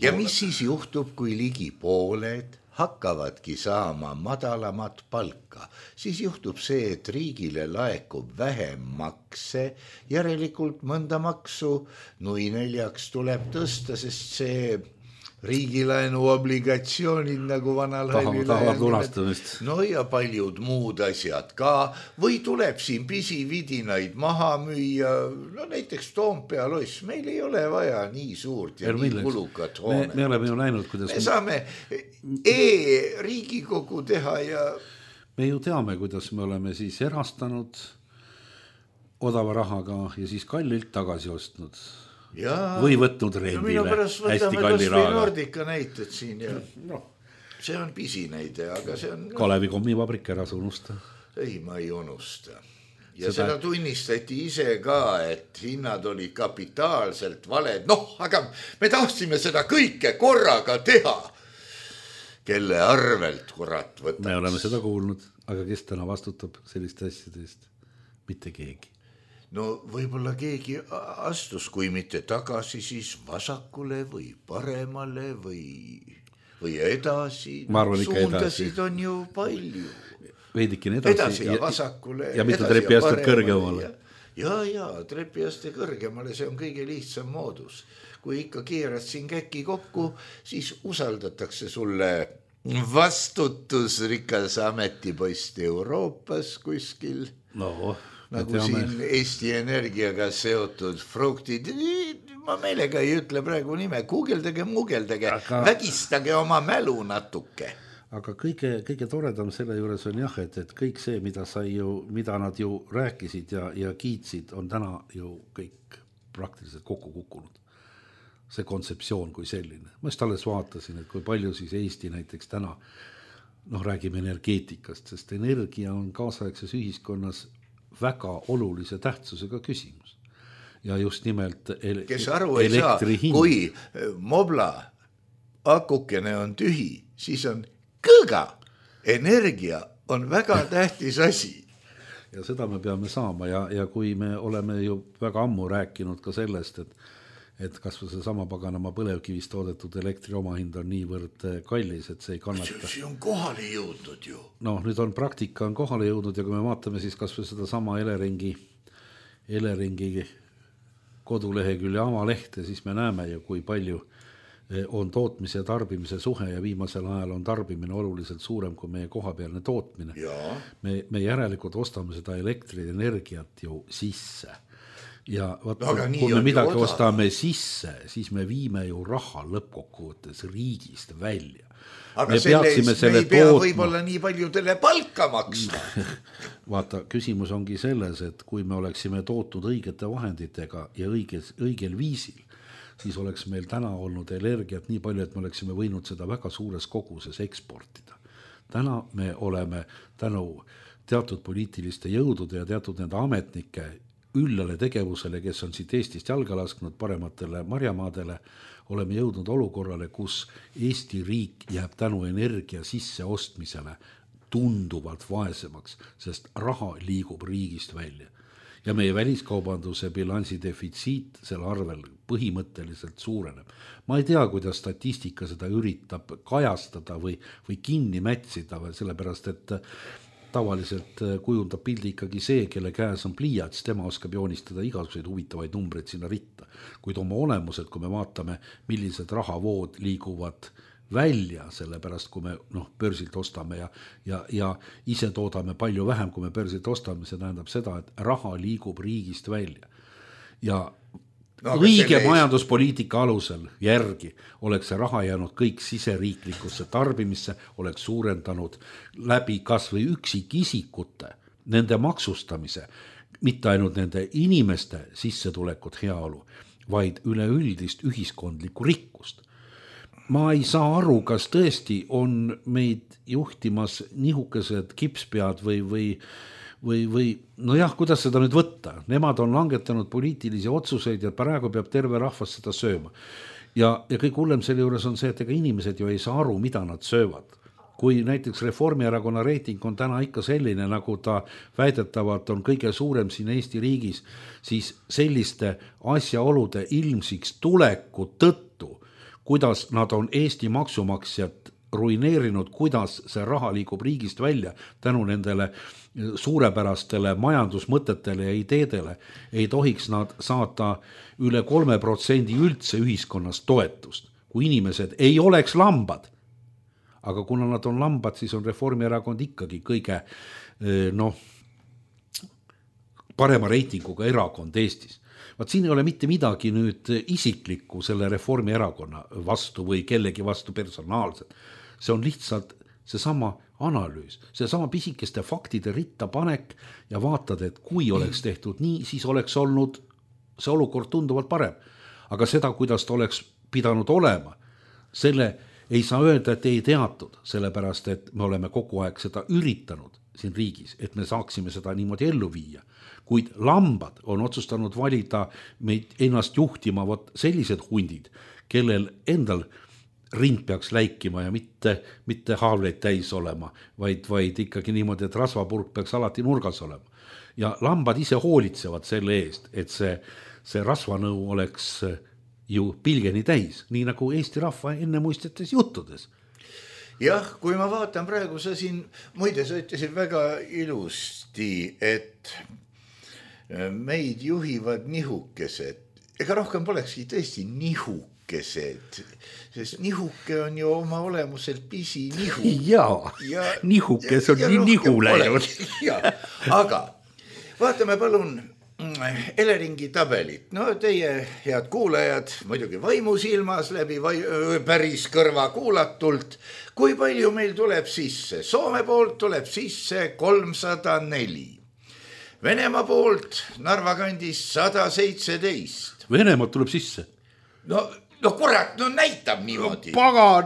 Speaker 3: Ja mis siis juhtub, kui ligi pooled hakkavadki saama madalamat palka, siis juhtub see, et riigile laekub vähem makse, järelikult mõnda maksu nui 4 tuleb tõsta, sest see riigilaenu obligatsioonid nagu vanal
Speaker 4: tahavad lunastamist.
Speaker 3: No ja paljud muud asjad ka, või tuleb siin pisividinaid maha müüa, no näiteks Toompea loss, meil ei ole vaja nii suurt ja nii kulukat hoone.
Speaker 4: Me oleme ju näinud, kuidas
Speaker 3: me saame Riigikogu teha ja
Speaker 4: me ju teame, kuidas me oleme siis erastanud odava rahaga ja siis kallilt tagasi ostnud. Ja, või võtnud rendile hästi kalli rahaga.
Speaker 3: Nordica näited siin ja see on pisinäide, aga see on
Speaker 4: Kalevi kommivabrik ära unusta.
Speaker 3: Ei, ma ei unusta. Ja seda tunnistati ise ka, et hinnad oli kapitaalselt valed. Aga me tahtsime seda kõike korraga teha. Kelle arvelt kurat võtab.
Speaker 4: Me oleme seda kuulnud, aga kes täna vastutab selliste asjade eest? Mitte keegi.
Speaker 3: No võib-olla keegi astus, kui mitte tagasi, siis vasakule või paremale või edasi.
Speaker 4: Ma arvan ikka
Speaker 3: suundasid on ju palju.
Speaker 4: Veidikin
Speaker 3: edasi ja vasakule.
Speaker 4: Ja mitte trepiastet kõrgemale.
Speaker 3: Ja trepiaste kõrgemale, see on kõige lihtsam moodus. Kui ikka keerad siin käki kokku, siis usaldatakse sulle vastutusrikas ametipost Euroopas kuskil. Nagu siin Eesti Energiaga seotud fruktid, ma meelega ei ütle praegu nime, guugeldage, vägistage oma mälu natuke.
Speaker 4: Aga kõige toredam selle juures on jah, et kõik see, mida nad ju rääkisid ja kiitsid, on täna ju kõik praktiliselt kokku kukkunud. See kontseptsioon kui selline. Ma just alles vaatasin, et kui palju siis Eesti näiteks täna, räägime energeetikast, sest energia on kaasaegses ühiskonnas väga olulise tähtsusega küsimus. Ja just nimelt
Speaker 3: kes aru ei saa, kui mobla akukene on tühi, siis on kõga. Energia on väga tähtis asi.
Speaker 4: Ja seda me peame saama ja kui me oleme ju väga ammu rääkinud ka sellest, et kas või see sama paganama põlevkivist toodetud elektri omahind on niivõrd kallis, et see ei kannata.
Speaker 3: See on kohale jõudnud ju.
Speaker 4: Nüüd on praktika on kohale jõudnud ja kui me vaatame siis kas või seda sama Eleringi kodulehekülje avalehte, siis me näeme ju, kui palju on tootmise ja tarbimise suhe ja viimasel ajal on tarbimine oluliselt suurem kui meie kohapealne tootmine. Me järelikult ostame seda elektrienergiat ju sisse. Ja kui me midagi ostame sisse, siis me viime ju raha lõppkokkuvõttes riigist välja.
Speaker 3: Aga me ei pea võib-olla nii paljudele palka maksma.
Speaker 4: Vaata, küsimus ongi selles, et kui me oleksime tootud õigete vahenditega ja õigel viisil, siis oleks meil täna olnud energiat nii palju, et me oleksime võinud seda väga suures koguses eksportida. Täna me oleme tänu teatud poliitiliste jõudude ja teatud nende ametnike üllale tegevusele, kes on siit Eestist jalga lasknud parematele marjamaadele, oleme jõudnud olukorrale, kus Eesti riik jääb tänu energia sisse ostmisele tunduvalt vaesemaks, sest raha liigub riigist välja. Ja meie väliskaubanduse bilansi defitsiit selle arvel põhimõtteliselt suureneb. Ma ei tea, kuidas statistika seda üritab kajastada või kinni mätsida, sellepärast, et tavaliselt kujundab pildi ikkagi see, kelle käes on pliiats, tema oskab joonistada igasuguseid huvitavaid numbreid sinna ritta. Kuid oma olemused, kui me vaatame, millised rahavood liiguvad välja, sellepärast kui me börsilt ostame ja ise toodame palju vähem, kui me börsilt ostame, see tähendab seda, et raha liigub riigist välja. Ja õige majanduspoliitika alusel järgi oleks see raha jäänud kõik siseriiklikusse tarbimisse, oleks suurendanud läbi kas või üksikisikute nende maksustamise, mitte ainult nende inimeste sissetulekut heaolu, vaid üleüldist ühiskondlikku rikkust. Ma ei saa aru, kas tõesti on meid juhtimas nihukesed kipspead või kuidas seda nüüd võtta? Nemad on langetanud poliitilisi otsuseid ja praegu peab terve rahvas seda sööma. Ja kõik hullem selle juures on see, et ega inimesed ju ei saa aru, mida nad söövad. kui näiteks Reformierakonna reiting on täna ikka selline, nagu ta väidetavalt on kõige suurem siin Eesti riigis, siis selliste asjaolude ilmsiks tuleku tõttu, kuidas nad on Eesti maksumaksjat ruineerinud, kuidas see raha liigub riigist välja tänu nendele suurepärastele majandusmõtetele ja ideedele, ei tohiks nad saada üle 3% üldse ühiskonnas toetust, kui inimesed ei oleks lambad. Aga kuna nad on lambad, siis on Reformierakond ikkagi kõige parema reitinguga erakond Eestis. Vaat siin ei ole mitte midagi nüüd isiklikku selle Reformierakonna vastu või kellegi vastu personaalselt. See on lihtsalt seesama analüüs, seesama pisikeste faktide ritta panek ja vaatad, et kui oleks tehtud nii, siis oleks olnud see olukord tunduvalt parem. Aga seda, kuidas ta oleks pidanud olema, selle ei saa öelda, et ei teatud, sellepärast, et me oleme kogu aeg seda üritanud siin riigis, et me saaksime seda niimoodi ellu viia. Kuid lambad on otsustanud valida meid ennast juhtima sellised hundid, kellel endal rind peaks läikima ja mitte haavleid täis olema, vaid ikkagi niimoodi, et rasvapurk peaks alati nurgas olema. Ja lambad ise hoolitsevad selle eest, et see rasvanõu oleks ju pilgeni täis, nii nagu Eesti rahva ennemuistetes juttudes.
Speaker 3: Jah, kui ma vaatan praegu, sa siin muide sa ütlesid väga ilusti, et meid juhivad nihukesed. Ega rohkem polekski tõesti nihukesed, sest nihuke on ju oma olemuselt pisi nihu.
Speaker 4: Ja nihukes on nii nihu läinud.
Speaker 3: Aga vaatame palun Eleringi tabelit. No teie head kuulajad, muidugi vaimusilmas läbi päris kõrva kuulatult. Kui palju meil tuleb sisse? Soome poolt tuleb sisse 304. Venemaa poolt Narva kandis 117.
Speaker 4: Venemaad tuleb sisse?
Speaker 3: No kurat, näitab niimoodi.
Speaker 4: Paga,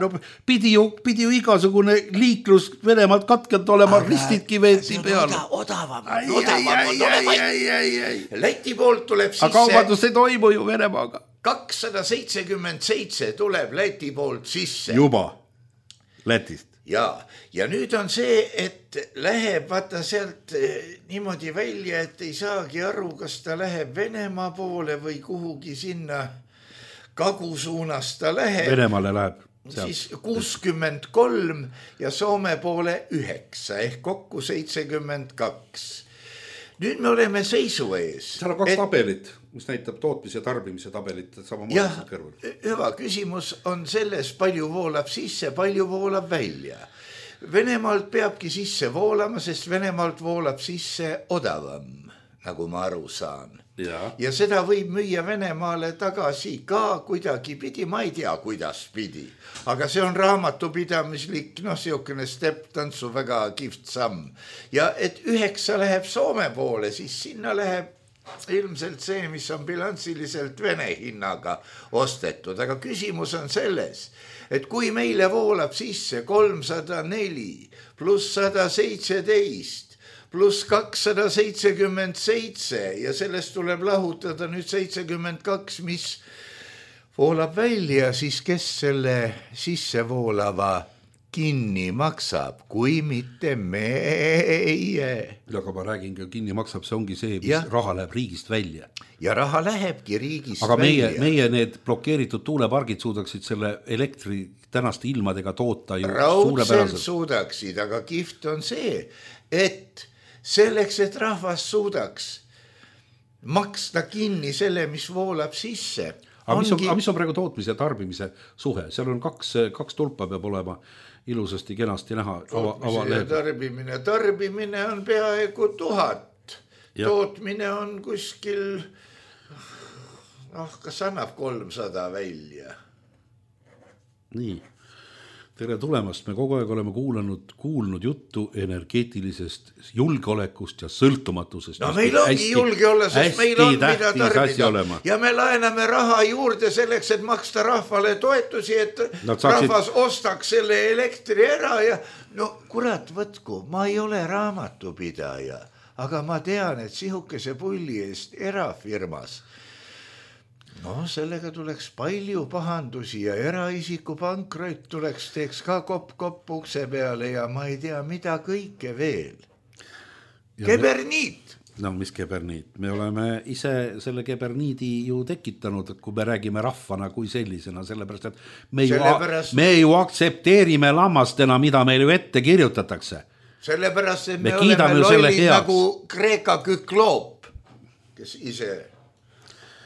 Speaker 4: pidi ju igasugune liiklus Venemaalt katkelt olema, ristidki veeti peale.
Speaker 3: Odavam. Läti poolt tuleb sisse.
Speaker 4: Aga kaubandus ei toimu ju Venemaaga.
Speaker 3: 277 tuleb Läti poolt sisse.
Speaker 4: Juba Lätist.
Speaker 3: Ja nüüd on see, et läheb vaata sealt niimoodi välja, et ei saagi aru, kas ta läheb Venemaa poole või kuhugi sinna kagusuunas ta läheb.
Speaker 4: Venemaale läheb.
Speaker 3: Siis 63 ja Soome poole 9 ehk kokku 72. Nüüd me oleme seisu ees.
Speaker 4: Seal on 2 tabelit, mis näitab tootmise ja tarbimise tabelit.
Speaker 3: Hüva küsimus on selles, palju voolab sisse, palju voolab välja. Venemaalt peabki sisse voolama, sest Venemaalt voolab sisse odavam, nagu ma aru saan. Ja seda võib müüa Venemaale tagasi ka kuidagi pidi, ma ei tea, kuidas pidi. Aga see on raamatupidamislik, siukene step-tantsu väga kihvt samm. Ja et 9 läheb Soome poole, siis sinna läheb ilmselt see, mis on bilansiliselt Vene hinnaga ostetud. Aga küsimus on selles, et kui meile voolab sisse 304 pluss 117 pluss 277 ja sellest tuleb lahutada nüüd 72, mis voolab välja, siis kes selle sisse voolava kinni maksab, kui mitte meie.
Speaker 4: Aga ma räägin, kinni maksab, see ongi see, mis raha läheb riigist välja.
Speaker 3: Ja raha lähebki riigist
Speaker 4: aga
Speaker 3: välja.
Speaker 4: Aga meie need blokeeritud tuulepargid suudaksid selle elektri tänaste ilmadega toota ju
Speaker 3: raudselt suudaksid, aga kihvt on see, et selleks, et rahvas suudaks maksta kinni selle, mis voolab sisse.
Speaker 4: Aga mis on praegu tootmise ja tarbimise suhe? Seal on 2 tulpa peab olema ilusasti kenasti näha.
Speaker 3: Tarbimine on peaaegu 1000. Tootmine on kuskil, kas annab 300 välja?
Speaker 4: Nii. Tere tulemast, me kogu aeg oleme kuulnud juttu energeetilisest julgeolekust ja sõltumatusest.
Speaker 3: Meil ongi julge olla, sest meil on mida tarbida. Ja me laename raha juurde selleks, et maksta rahvale toetusi, et rahvas ostaks selle elektri ära ja kurat võtku, ma ei ole raamatupidaja, aga ma tean, et sihukese pulli eest erafirmas No sellega tuleks palju pahandusi ja eraisiku pankrot teeks ka kopp ukse peale ja ma ei tea, mida kõike veel. Keberniit.
Speaker 4: No mis keberniit? Me oleme ise selle keberniidi ju tekitanud, kui me räägime rahvana kui sellisena, sellepärast, et me ju aktsepteerime lammastena, mida meil ju ette kirjutatakse.
Speaker 3: Sellepärast, et me oleme lollid nagu Kreeka Kükloop, kes ise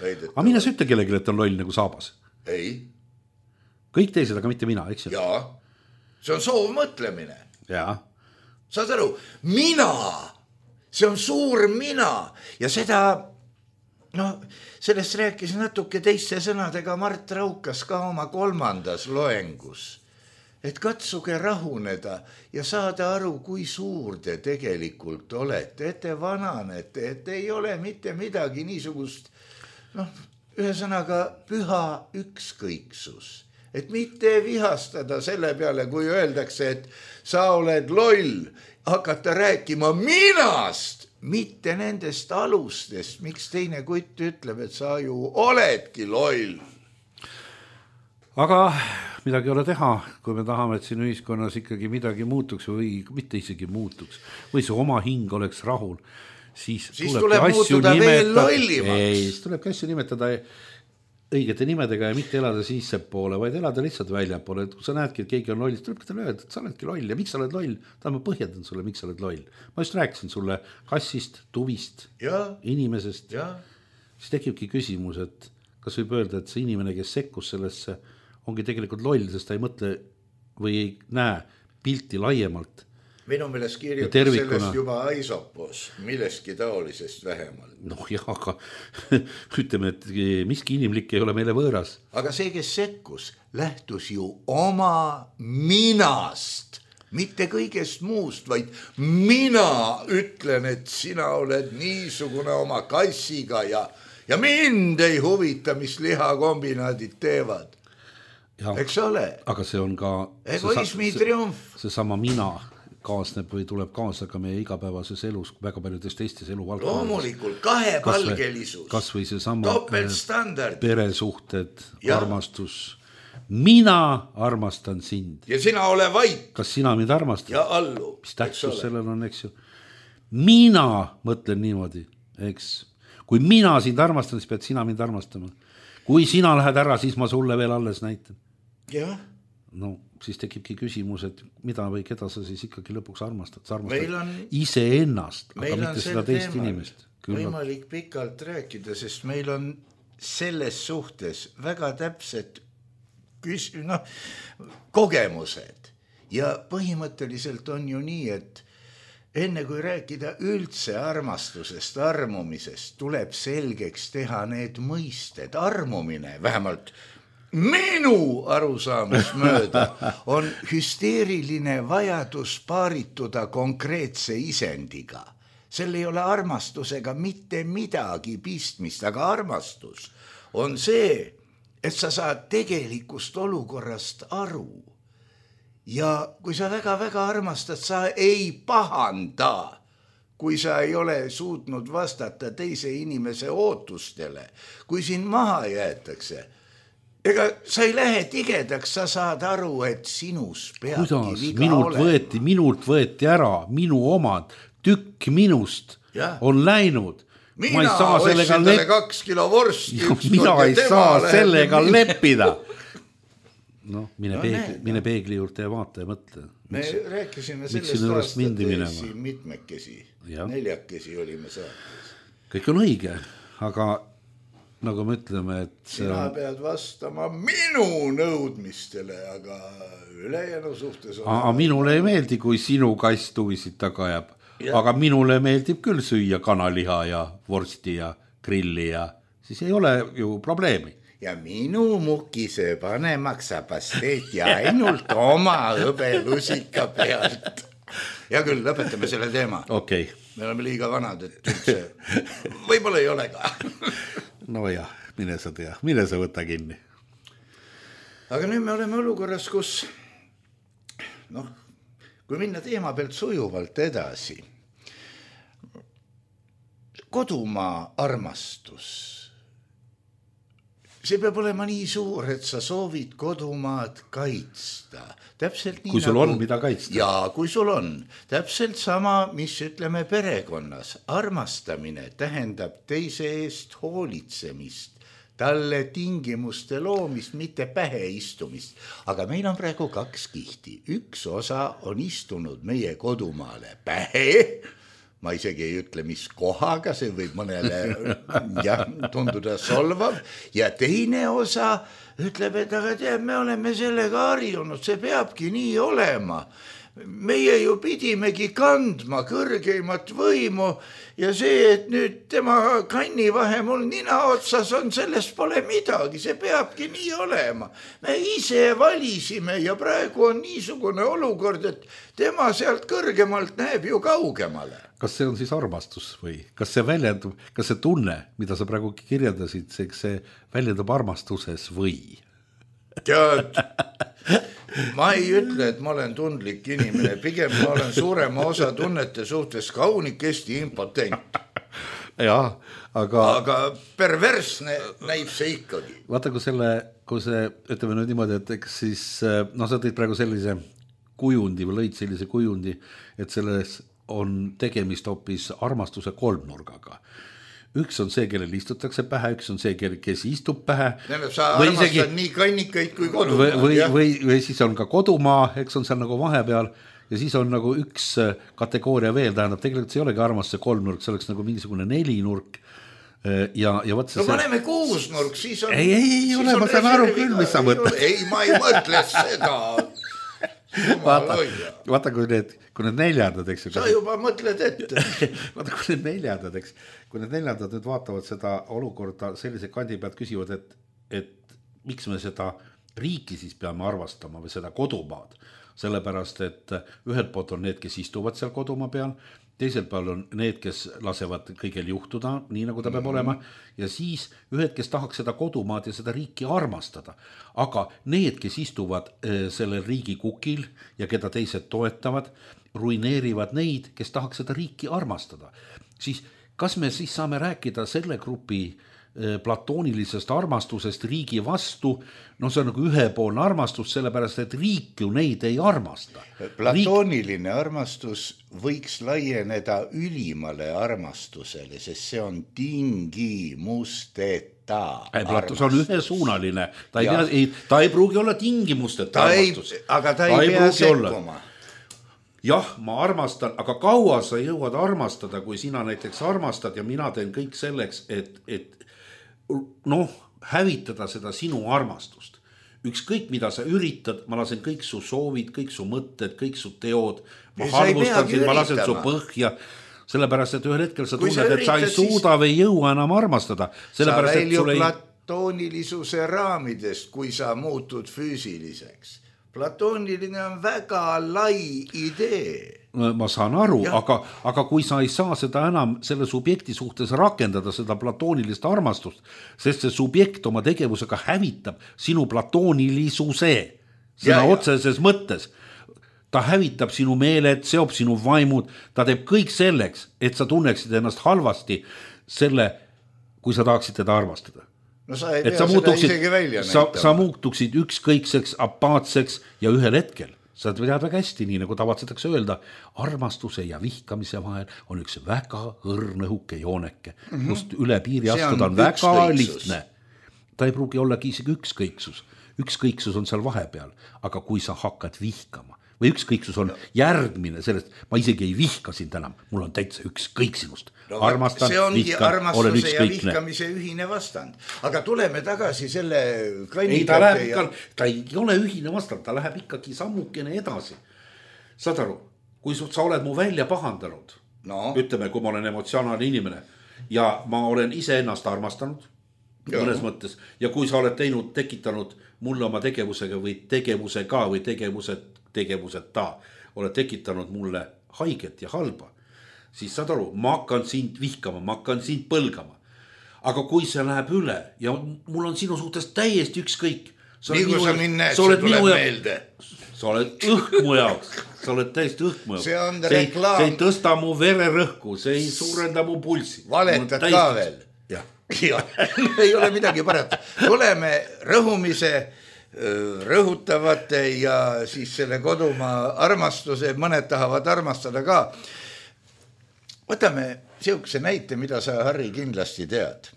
Speaker 3: väidetavad.
Speaker 4: Aga mine sa ütle kellelegi, et on loll nagu saabas.
Speaker 3: Ei.
Speaker 4: Kõik teised, aga mitte mina, eks ju?
Speaker 3: Jaa, see on soovmõtlemine.
Speaker 4: Jaa.
Speaker 3: Saad aru, mina, see on suur mina ja seda, sellest rääkis natuke teiste sõnadega Mart Raukas ka oma 3. loengus. Et katsuge rahuneda ja saada aru, kui suur te tegelikult olete, et te vananete, et ei ole mitte midagi niisugust, ühesõnaga püha ükskõiksus. Et mitte vihastada selle peale, kui öeldakse, et sa oled loll, hakata rääkima minast, mitte nendest alustest, miks teine kutt ütleb, et sa ju oledki loll.
Speaker 4: Aga midagi ei ole teha, kui me tahame, et siin ühiskonnas ikkagi midagi muutuks või mitte isegi muutuks, või see oma hing oleks rahul, siis
Speaker 3: tuleb muutuda veel lollimaks.
Speaker 4: Siis tuleb asju nimetada õigete nimedega ja mitte elada sissepoole, vaid elada lihtsalt väljapoole. Et kui sa näedki, et keegi on loll, siis tuleb talle öelda, et sa oledki loll ja miks sa oled loll? Ma põhjendan sulle, miks sa oled loll. Ma just rääkisin sulle kassist, tuvist, inimesest. Siis tekibki küsimus, et kas võib öelda, et see inimene, kes sekkus sellesse, ongi tegelikult loll, sest ta ei mõtle või ei näe pilti laiemalt.
Speaker 3: Minu meelest kirjutas sellest juba Aisopos, millestki taolisest vähemalt.
Speaker 4: Aga ütleme, et miski inimlik ei ole meile võõras.
Speaker 3: Aga see, kes sekkus, lähtus ju oma minast, mitte kõigest muust, vaid mina ütlen, et sina oled niisugune oma kassiga ja mind ei huvita, mis lihakombinaadid teevad. Eks ole?
Speaker 4: Aga see on ka
Speaker 3: egoismi triumf.
Speaker 4: See sama mina kaasneb või tuleb kaasa ka meie igapäevases elus väga paljudes teistes eluvaldkondades.
Speaker 3: Loomulikult, kahepalgelisus,
Speaker 4: kas või see sama
Speaker 3: topeltstandard,
Speaker 4: peresuhted, armastus. Mina armastan sind.
Speaker 3: Ja sina ole vait.
Speaker 4: Kas sina mind armastad?
Speaker 3: Ja allu.
Speaker 4: Mis tähtsus sellel on, eks ju? Mina mõtlen niimoodi, eks. Kui mina sind armastan, siis pead sina mind armastama. Kui sina lähed ära, siis ma sulle veel alles näitan.
Speaker 3: Jah.
Speaker 4: No, siis tekibki küsimus, et mida või keda sa siis ikkagi lõpuks armastad. Sa armastad iseennast, aga mitte seda teist inimest.
Speaker 3: Võimalik pikalt rääkida, sest meil on selles suhtes väga täpsed kogemused. Ja põhimõtteliselt on ju nii, et enne kui rääkida üldse armastusest, armumisest, tuleb selgeks teha need mõisted. Armumine, vähemalt minu arusaamus mööda, on hüsteeriline vajadus paarituda konkreetse isendiga. Sel ei ole armastusega mitte midagi pistmist, aga armastus on see, et sa saad tegelikust olukorrast aru. Ja kui sa väga-väga armastad, sa ei pahanda, kui sa ei ole suutnud vastata teise inimese ootustele, kui sind maha jäetakse. Ega sa ei lähe tigedaks, sa saad aru, et sinus peabki viga olema.
Speaker 4: Minult võeti ära, minu omad, tükk minust on läinud.
Speaker 3: Mina ostsin talle 2 kilo vorsti.
Speaker 4: Mina ei saa sellega leppida. Mine peegli juurde ja vaata ja mõtle.
Speaker 3: Me rääkisime sellest aastat mitmekesi, 4 olime saates.
Speaker 4: Kõik on õige, aga nagu me ütleme, et
Speaker 3: sina pead vastama minu nõudmistele, aga ülejäänu suhtes on...
Speaker 4: Minule ei meeldi, kui sinu kass tuvisid taga jääb. Aga minule meeldib küll süüa kanaliha ja vorsti ja grilli ja siis ei ole ju probleemi.
Speaker 3: Ja minu mukise panemaks sa pasteeti ainult oma hõbelusika pealt. Ja küll, lõpetame selle teema.
Speaker 4: Okay.
Speaker 3: Me oleme liiga vanad, et üldse võib-olla ei ole ka.
Speaker 4: No jah, mine sa tea, mine sa võta kinni.
Speaker 3: Aga nüüd me oleme olukorras, kus kui minna teema pealt sujuvalt edasi. Kodumaa armastus. see peab olema nii suur, et sa soovid kodumaad kaitsta. Täpselt nii
Speaker 4: kui sul on, mida kaitsta.
Speaker 3: Jaa, kui sul on. Täpselt sama, mis ütleme perekonnas. Armastamine tähendab teise eest hoolitsemist, talle tingimuste loomist, mitte pähe istumist. Aga meil on praegu 2 kihti. Üks osa on istunud meie kodumaale pähe. Ma isegi ei ütle, mis kohaga, see võib mõnele tunduda solvav. Ja teine osa ütleb, et aga tead, me oleme sellega harjunud, see peabki nii olema. Meie ju pidimegi kandma kõrgeimat võimu ja see, et nüüd tema kannivahe mul nina otsas on, sellest pole midagi, see peabki nii olema. Me ise valisime ja praegu on niisugune olukord, et tema sealt kõrgemalt näeb ju kaugemale.
Speaker 4: Kas see on siis armastus või kas see väljendub, kas see tunne, mida sa praegu kirjeldasid, see väljendub armastuses või?
Speaker 3: Tead, ma ei ütle, et ma olen tundlik inimene, pigem ma olen suurema osa tunnete suhtes kaunikesti impotent.
Speaker 4: Jah, aga
Speaker 3: perversne näib see ikkagi.
Speaker 4: Vaata, kui see, ütleme nüüd niimoodi, et eks siis, sa tõid praegu sellise kujundi või lõid sellise kujundi, et selles on tegemist hoopis armastuse kolmnurgaga. Üks on see, kellel istutakse pähe, üks on see, kes istub pähe.
Speaker 3: Sa armastad nii kannikaid kui kodumaa.
Speaker 4: Või siis on ka kodumaa, eks on seal nagu vahepeal ja siis on nagu üks kategooria veel, tähendab, tegelikult see ei olegi armastuse kolmnurk, see oleks nagu mingisugune 4-nurk. Ja võt see...
Speaker 3: No paneme 6-nurk, siis on...
Speaker 4: Ei ole, ma saan aru küll, mis sa mõtled.
Speaker 3: Ei, ma ei mõtle seda.
Speaker 4: Vaata, kui need neljandad, eks.
Speaker 3: Sa juba mõtled ette.
Speaker 4: Vaata, kui need neljandad nüüd vaatavad seda olukorda sellise kandi pealt küsivad, et miks me seda riiki siis peame arvastama või seda kodumaad. Sellepärast, et ühelt poolt on need, kes istuvad seal kodumaa peal, teiselt peal on need, kes lasevad kõigel juhtuda, nii nagu ta peab olema, ja siis ühed, kes tahaks seda kodumaad ja seda riiki armastada. Aga need, kes istuvad sellel riigi kukil ja keda teised toetavad, ruineerivad neid, kes tahaks seda riiki armastada. Siis kas me siis saame rääkida selle grupi platoonilisest armastusest riigi vastu, see on nagu ühepoolne armastus, sellepärast, et riik ju neid ei armasta.
Speaker 3: Platooniline armastus võiks laieneda ülimale armastusele, sest see on tingimusteta armastus.
Speaker 4: See on ühesuunaline, ta ei pruugi olla tingimusteta armastus.
Speaker 3: Aga ta ei pea sekkuma.
Speaker 4: Jah, ma armastan, aga kaua sa jõuad armastada, kui sina näiteks armastad ja mina teen kõik selleks, et hävitada seda sinu armastust. Ükskõik, mida sa üritad, ma lasen kõik su soovid, kõik su mõtted, kõik su teod, ma halvustan sind, ma lasen su põhja, sellepärast, et ühel hetkel sa tunned, et sa ei suuda või jõua enam armastada.
Speaker 3: Sa väljub platoonilisuse raamidest, kui sa muutud füüsiliseks. Platooniline on väga lai idee.
Speaker 4: Ma saan aru, aga kui sa ei saa seda enam selle subjekti suhtes rakendada, seda platoonilist armastust, sest see subjekt oma tegevusega hävitab sinu platoonilisuse sõna otseses mõttes. Ta hävitab sinu meeled, seob sinu vaimud, ta teeb kõik selleks, et sa tunneksid ennast halvasti selle, kui sa tahaksid teda armastada.
Speaker 3: No sa ei pea seda isegi välja näitama.
Speaker 4: Sa muutuksid ükskõikseks, apaatseks ja ühel hetkel sa tead väga hästi, nii nagu tavatsetakse öelda, armastuse ja vihkamise vahel on üks väga õrnõhuke jooneke, kust üle piiri astuda on väga lihtne. Ta ei pruugi ollagi isegi ükskõiksus. Ükskõiksus on seal vahepeal, aga kui sa hakkad vihkama või ükskõiksus on järgmine sellest, ma isegi ei vihka sind enam, mul on täitsa ükskõik sinust. Armastan, vihkan, olen ükskõikne. See ongi armastuse ja vihkamise
Speaker 3: ühine vastand. Aga tuleme tagasi selle
Speaker 4: ta ei ole ühine vastand, ta läheb ikkagi sammukene edasi. Saad aru, kui sa oled mu välja pahandanud, ütleme, kui ma olen emotsionaalne inimene ja ma olen ise ennast armastanud, mõnes mõttes, ja kui sa oled tekitanud mulle oma tegevusega või tegevusega või tegevuseta oled tekitanud mulle haiget ja halba, siis saad aru, ma hakkan sind vihkama, ma hakkan sind põlgama. Aga kui see läheb üle ja mul on sinu suhtes täiesti ükskõik,
Speaker 3: nii kui sa mind näed, see tuleb meelde.
Speaker 4: Sa oled õhk mu jaoks, sa oled täiesti õhk mu jaoks.
Speaker 3: See on reklaam.
Speaker 4: See ei tõsta mu vererõhku, see ei suurenda mu pulsi.
Speaker 3: Valetad ka veel.
Speaker 4: Jah.
Speaker 3: Ja, ei ole midagi parata. Tuleme rõhumise, rõhutavate ja siis selle kodumaa armastuse, mõned tahavad armastada ka. Võtame siukse näite, mida sa, Harri, kindlasti tead.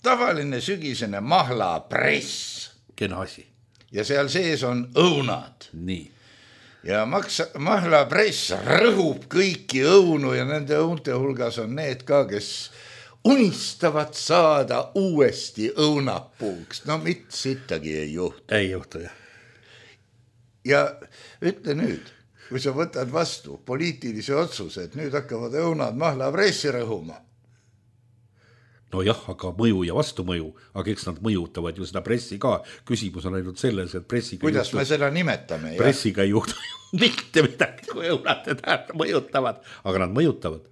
Speaker 3: Tavaline sügisene mahlapress.
Speaker 4: Kena asi.
Speaker 3: Ja seal sees on õunad.
Speaker 4: Nii.
Speaker 3: Ja mahlapress rõhub kõiki õunu ja nende õunte hulgas on need ka, kes unistavad saada uuesti õunapuuks. No mit sittagi ei juhtu.
Speaker 4: Ei juhtu, jah.
Speaker 3: Ja ütle nüüd, kui sa võtad vastu poliitilise otsuse, et nüüd hakkavad õunad mahlapressi rõhuma.
Speaker 4: No jah, aga mõju ja vastumõju, aga eks nad mõjutavad ju seda pressi ka. Küsimus on ainult selles, et pressiga
Speaker 3: kuidas me seda nimetame?
Speaker 4: Pressiga ei juhtu mitte midagi, kui õunad mõjutavad, aga nad mõjutavad.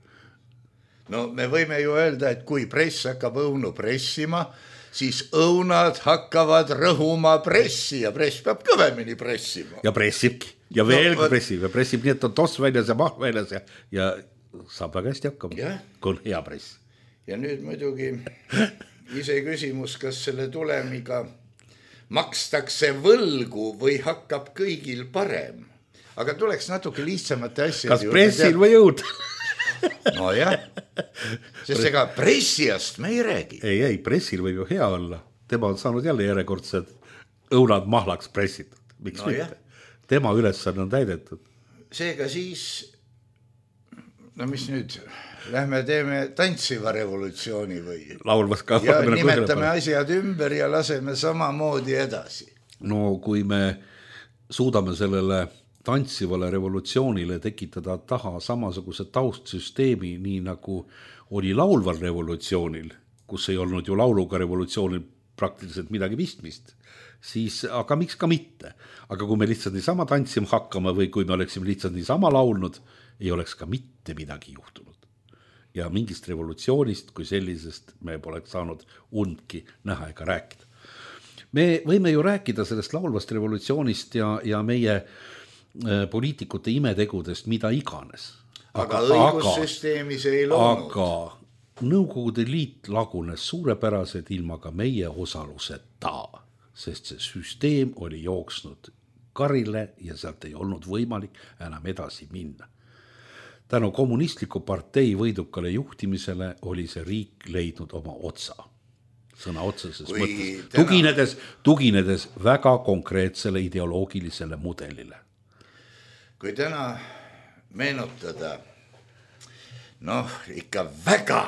Speaker 3: No me võime ju öelda, et kui press hakkab õunu pressima, siis õunad hakkavad rõhuma pressi ja press peab kõvemini pressima.
Speaker 4: Ja pressibki. Ja veelgi pressib. Ja pressib nii, et on toss väljas ja maht väljas ja saab väga hästi hakkama, kui on hea press.
Speaker 3: Ja nüüd muidugi ise küsimus, kas selle tulemiga makstakse võlgu või hakkab kõigil parem. Aga tuleks natuke lihtsamate asjade.
Speaker 4: Kas pressil või jõud?
Speaker 3: No jah, sest ega pressijast me ei räägi.
Speaker 4: Ei, pressil võib ju hea olla. Tema on saanud jälle järjekordsed õunad mahlaks pressitud. Miks mitte? Tema ülesanne on täidetud. Seega
Speaker 3: siis, no mis nüüd, lähme teeme tantsiva revolutsiooni või?
Speaker 4: Laulvas ka.
Speaker 3: Ja nimetame asjad ümber ja laseme samamoodi edasi.
Speaker 4: No kui me suudame sellele tantsivale revolutsioonile tekitada taha samasuguse taustsüsteemi, nii nagu oli laulval revolutsioonil, kus ei olnud ju lauluga revolutsioonil praktiliselt midagi pistmist, siis, aga miks ka mitte. Aga kui me lihtsalt niisama tantsima hakkama või kui me oleksime lihtsalt niisama laulnud, ei oleks ka mitte midagi juhtunud. Ja mingist revolutsioonist kui sellisest me poleks saanud undki näha ega rääkida. Me võime ju rääkida sellest laulvast revolutsioonist ja meie poliitikute imetegudest, mida iganes.
Speaker 3: Aga õigussüsteemis ei loonud.
Speaker 4: Aga Nõukogude Liit lagunes suurepäraselt ilma ka meie osaluseta, sest see süsteem oli jooksnud karile ja sealt ei olnud võimalik enam edasi minna. Tänu kommunistliku partei võidukale juhtimisele oli see riik leidnud oma otsa. Sõna otseses mõttes. Tuginedes väga konkreetsele ideoloogilisele mudelile.
Speaker 3: Kui täna meenutada, ikka väga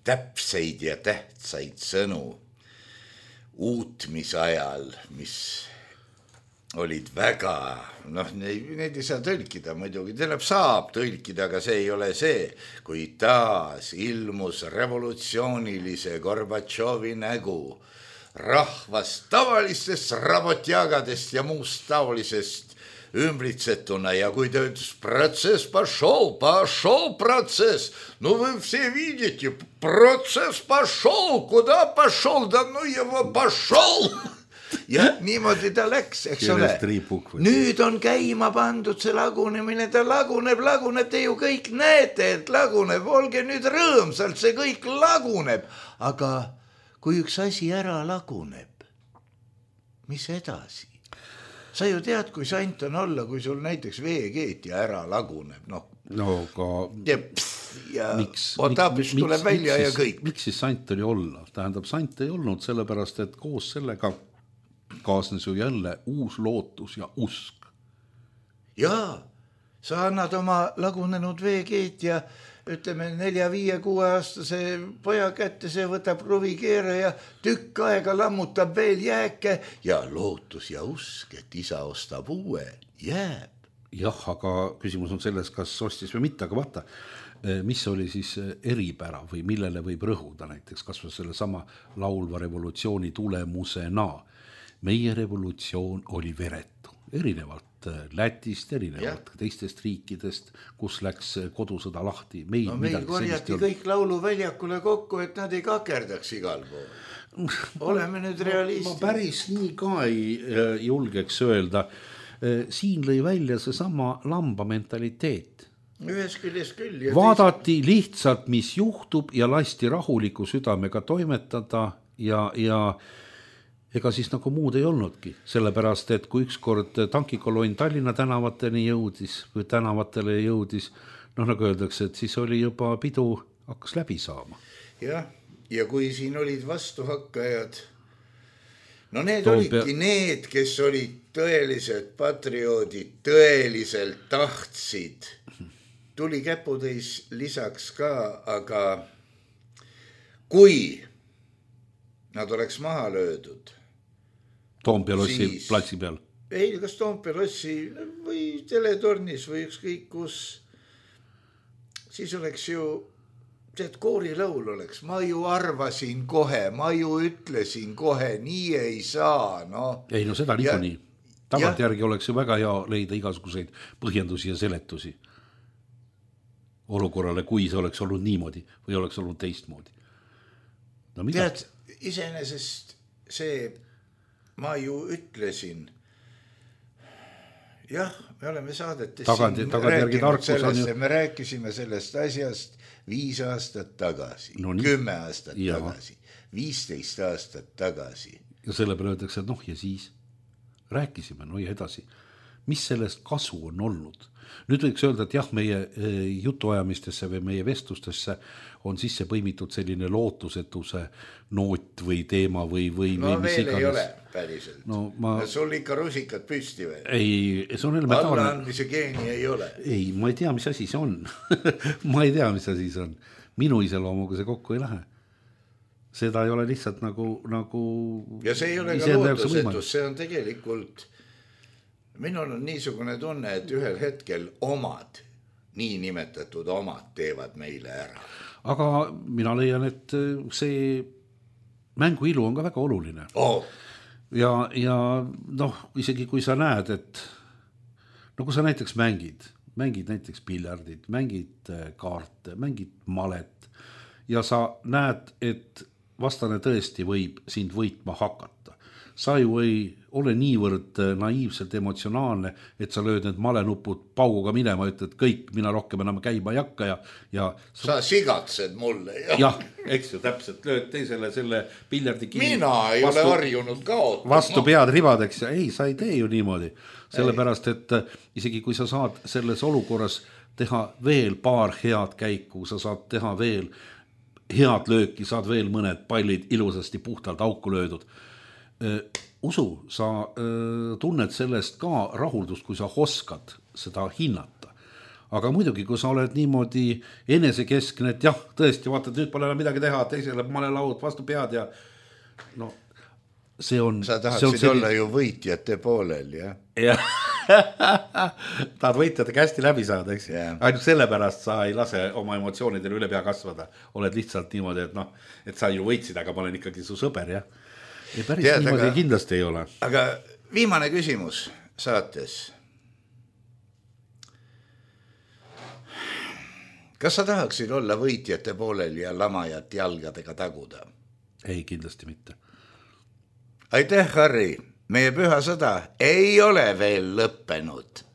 Speaker 3: täpseid ja tähtsaid sõnu uutmisajal, mis olid väga, neid ei saa tõlkida muidugi, saab tõlkida, aga see ei ole see, kui taas ilmus revolutsioonilise Gorbatšovi nägu rahvast tavalistest rabotjagadest ja muust taolisest ümbritsetuna, ja kui ta ütles, protsess пошел процесс, вы все видите, процесс пошел, куда пошел, да его пошел. Ja niimoodi ta läks, eks ole. Nüüd on käima pandud see lagunemine, ta laguneb, te ju kõik näete, et laguneb, olge nüüd rõõmsalt, see kõik laguneb. Aga kui üks asi ära laguneb, mis edasi? Sa ju tead, kui sant on olla, kui sul näiteks veekeetja ära laguneb, ja otapis tuleb välja ja kõik.
Speaker 4: Miks siis sant oli olla? Tähendab, sant ei olnud sellepärast, et koos sellega kaasnes ju jälle uus lootus ja usk.
Speaker 3: Jaa, sa annad oma lagunenud veekeetja, ütleme 4-5-6 aastase poja kätte, see võtab kruvikeere ja tükk aega lammutab veel jääke ja lootus ja usk, et isa ostab uue, jääb.
Speaker 4: Jah, aga küsimus on selles, kas ostis või mitte, aga vaata, mis oli siis eripära või millele võib rõhuda näiteks, kas või selle sama laulva revolutsiooni tulemusena. Meie revolutsioon oli veretu, erinevalt Lätist, erinevalt teistest riikidest, kus läks kodusõda lahti.
Speaker 3: Meil korjati kõik lauluväljakule kokku, et nad ei kakerdaks igal pool. Oleme nüüd realistid.
Speaker 4: Ma päris nii ka ei julgeks öelda. Siin lõi välja see sama lamba mentaliteet.
Speaker 3: ühes küljest küll.
Speaker 4: Vaadati lihtsalt, mis juhtub ja lasti rahuliku südamega toimetada ja ega siis nagu muud ei olnudki, sellepärast, et kui ükskord tankikolonn Tallinna tänavatele jõudis, nagu öeldakse, et siis oli juba pidu hakkas läbi saama.
Speaker 3: Ja kui siin olid vastuhakkajad, no need olidki need, kes olid tõelised patrioodid, tõeliselt tahtsid. Tuli käputäis lisaks ka, aga kui nad oleks maha löödud
Speaker 4: Toompea lossi platsi peal.
Speaker 3: Ei, kas Toompea lossi või teletornis või ükskõik kus, siis oleks ju, tead, koorilaul oleks, ma ju arvasin kohe, ma ju ütlesin kohe, nii ei saa, no.
Speaker 4: Ei, no seda niikuinii. Tagantjärgi oleks ju väga hea leida igasuguseid põhjendusi ja seletusi olukorrale, kui see oleks olnud niimoodi või oleks olnud teistmoodi. No mida?
Speaker 3: Tead, iseenesest see, ma ju ütlesin, jah, me oleme saadetes me rääkisime sellest asjast 5 aastat tagasi, 10 aastat tagasi, 15 aastat tagasi.
Speaker 4: Ja selle peale öeldakse, et ja siis rääkisime, ja edasi. Mis sellest kasu on olnud? Nüüd võiks öelda, et jah, meie jutuajamistesse või meie vestlustesse on sisse põimitud selline lootusetuse noot või teema või
Speaker 3: no veel iganes. Ei ole päriselt. Sul ikka rusikad püsti või?
Speaker 4: Ei, see on elementaarne.
Speaker 3: Allaandmise geeni ei ole.
Speaker 4: Ei, ma ei tea, mis asi see on. Ma ei tea, mis asi see on. Minu iseloomuga see kokku ei lähe. Seda ei ole lihtsalt nagu
Speaker 3: ja see ei ole ka lootusetus, see on tegelikult minul on niisugune tunne, et ühel hetkel omad, nii nimetatud omad teevad meile ära.
Speaker 4: Aga mina leian, et see mängu ilu on ka väga oluline. Ja isegi kui sa näed, et kui sa näiteks mängid näiteks piljardit, mängid kaarte, mängid malet ja sa näed, et vastane tõesti võib sind võitma hakata. Sa ju ei ole niivõrd naiivselt emotsionaalne, et sa lööd need malenupud pauguga minema, ütled kõik, mina rohkem enam käima ei hakka ja
Speaker 3: sa sigatsed mulle.
Speaker 4: Jah, eks ju, täpselt, lööd teisele selle piljardi kinni.
Speaker 3: Mina ei ole harjunud kaotama.
Speaker 4: Vastu pead ribadeks ja ei, sa ei tee ju niimoodi. Sellepärast, et isegi kui sa saad selles olukorras teha veel paar head käiku, sa saad teha veel head lööki, saad veel mõned pallid ilusasti puhtalt auku löödud. Usu, sa tunned sellest ka rahuldust, kui sa oskad seda hinnata. Aga muidugi, kui sa oled niimoodi enesekeskne, et jah, tõesti, vaatad, nüüd pole midagi teha, teisele malelaud vastu pead ja see on...
Speaker 3: Sa tahaksid olla ju võitjate poolel, jah?
Speaker 4: Jah, tahad võitjatega hästi läbi saada, eks? Ainult sellepärast sa ei lase oma emotsioonidele üle pea kasvada. Oled lihtsalt niimoodi, et sa ju võitsid, aga ma olen ikkagi su sõber, jah? Ja päris niimoodi kindlasti ei ole.
Speaker 3: Aga viimane küsimus saates. Kas sa tahaksid olla võitjate poolel ja lamajat jalgadega taguda?
Speaker 4: Ei, kindlasti mitte.
Speaker 3: Aitäh, Harri. Meie püha sõda ei ole veel lõppenud.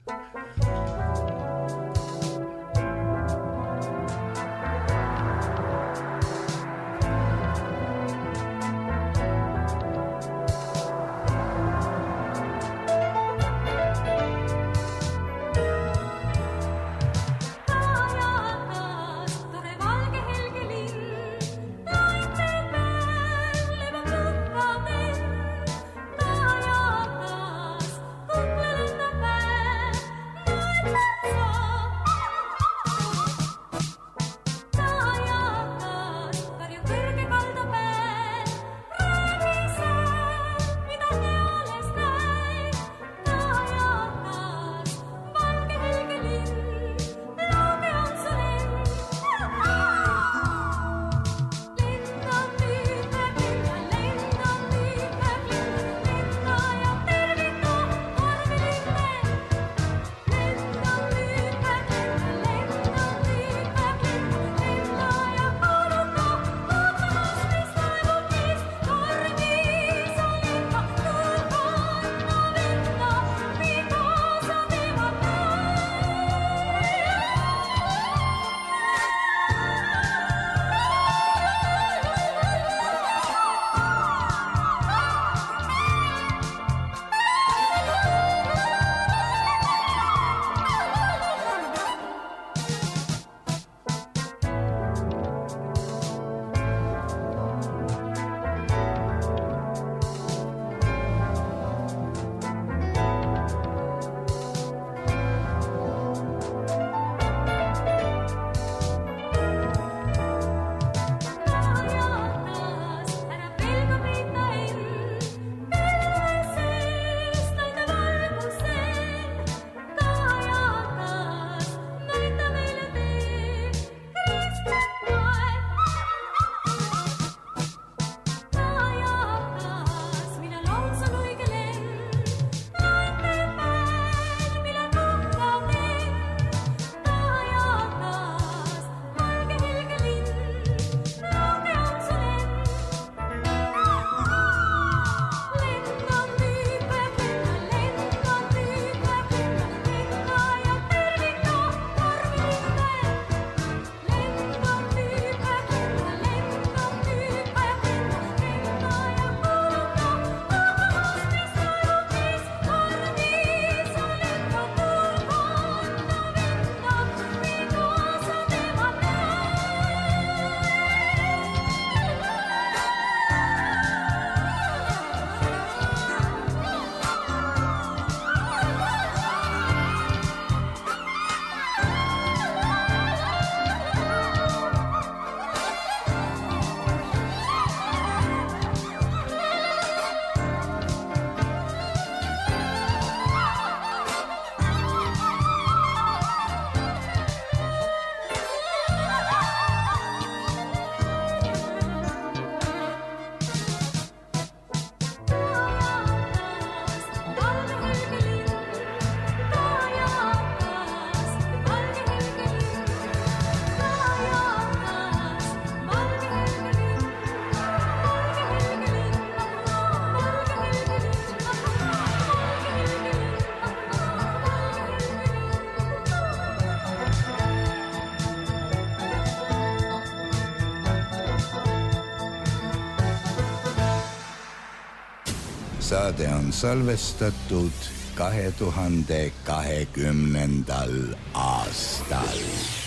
Speaker 3: saade on salvestatud 2020. aastal.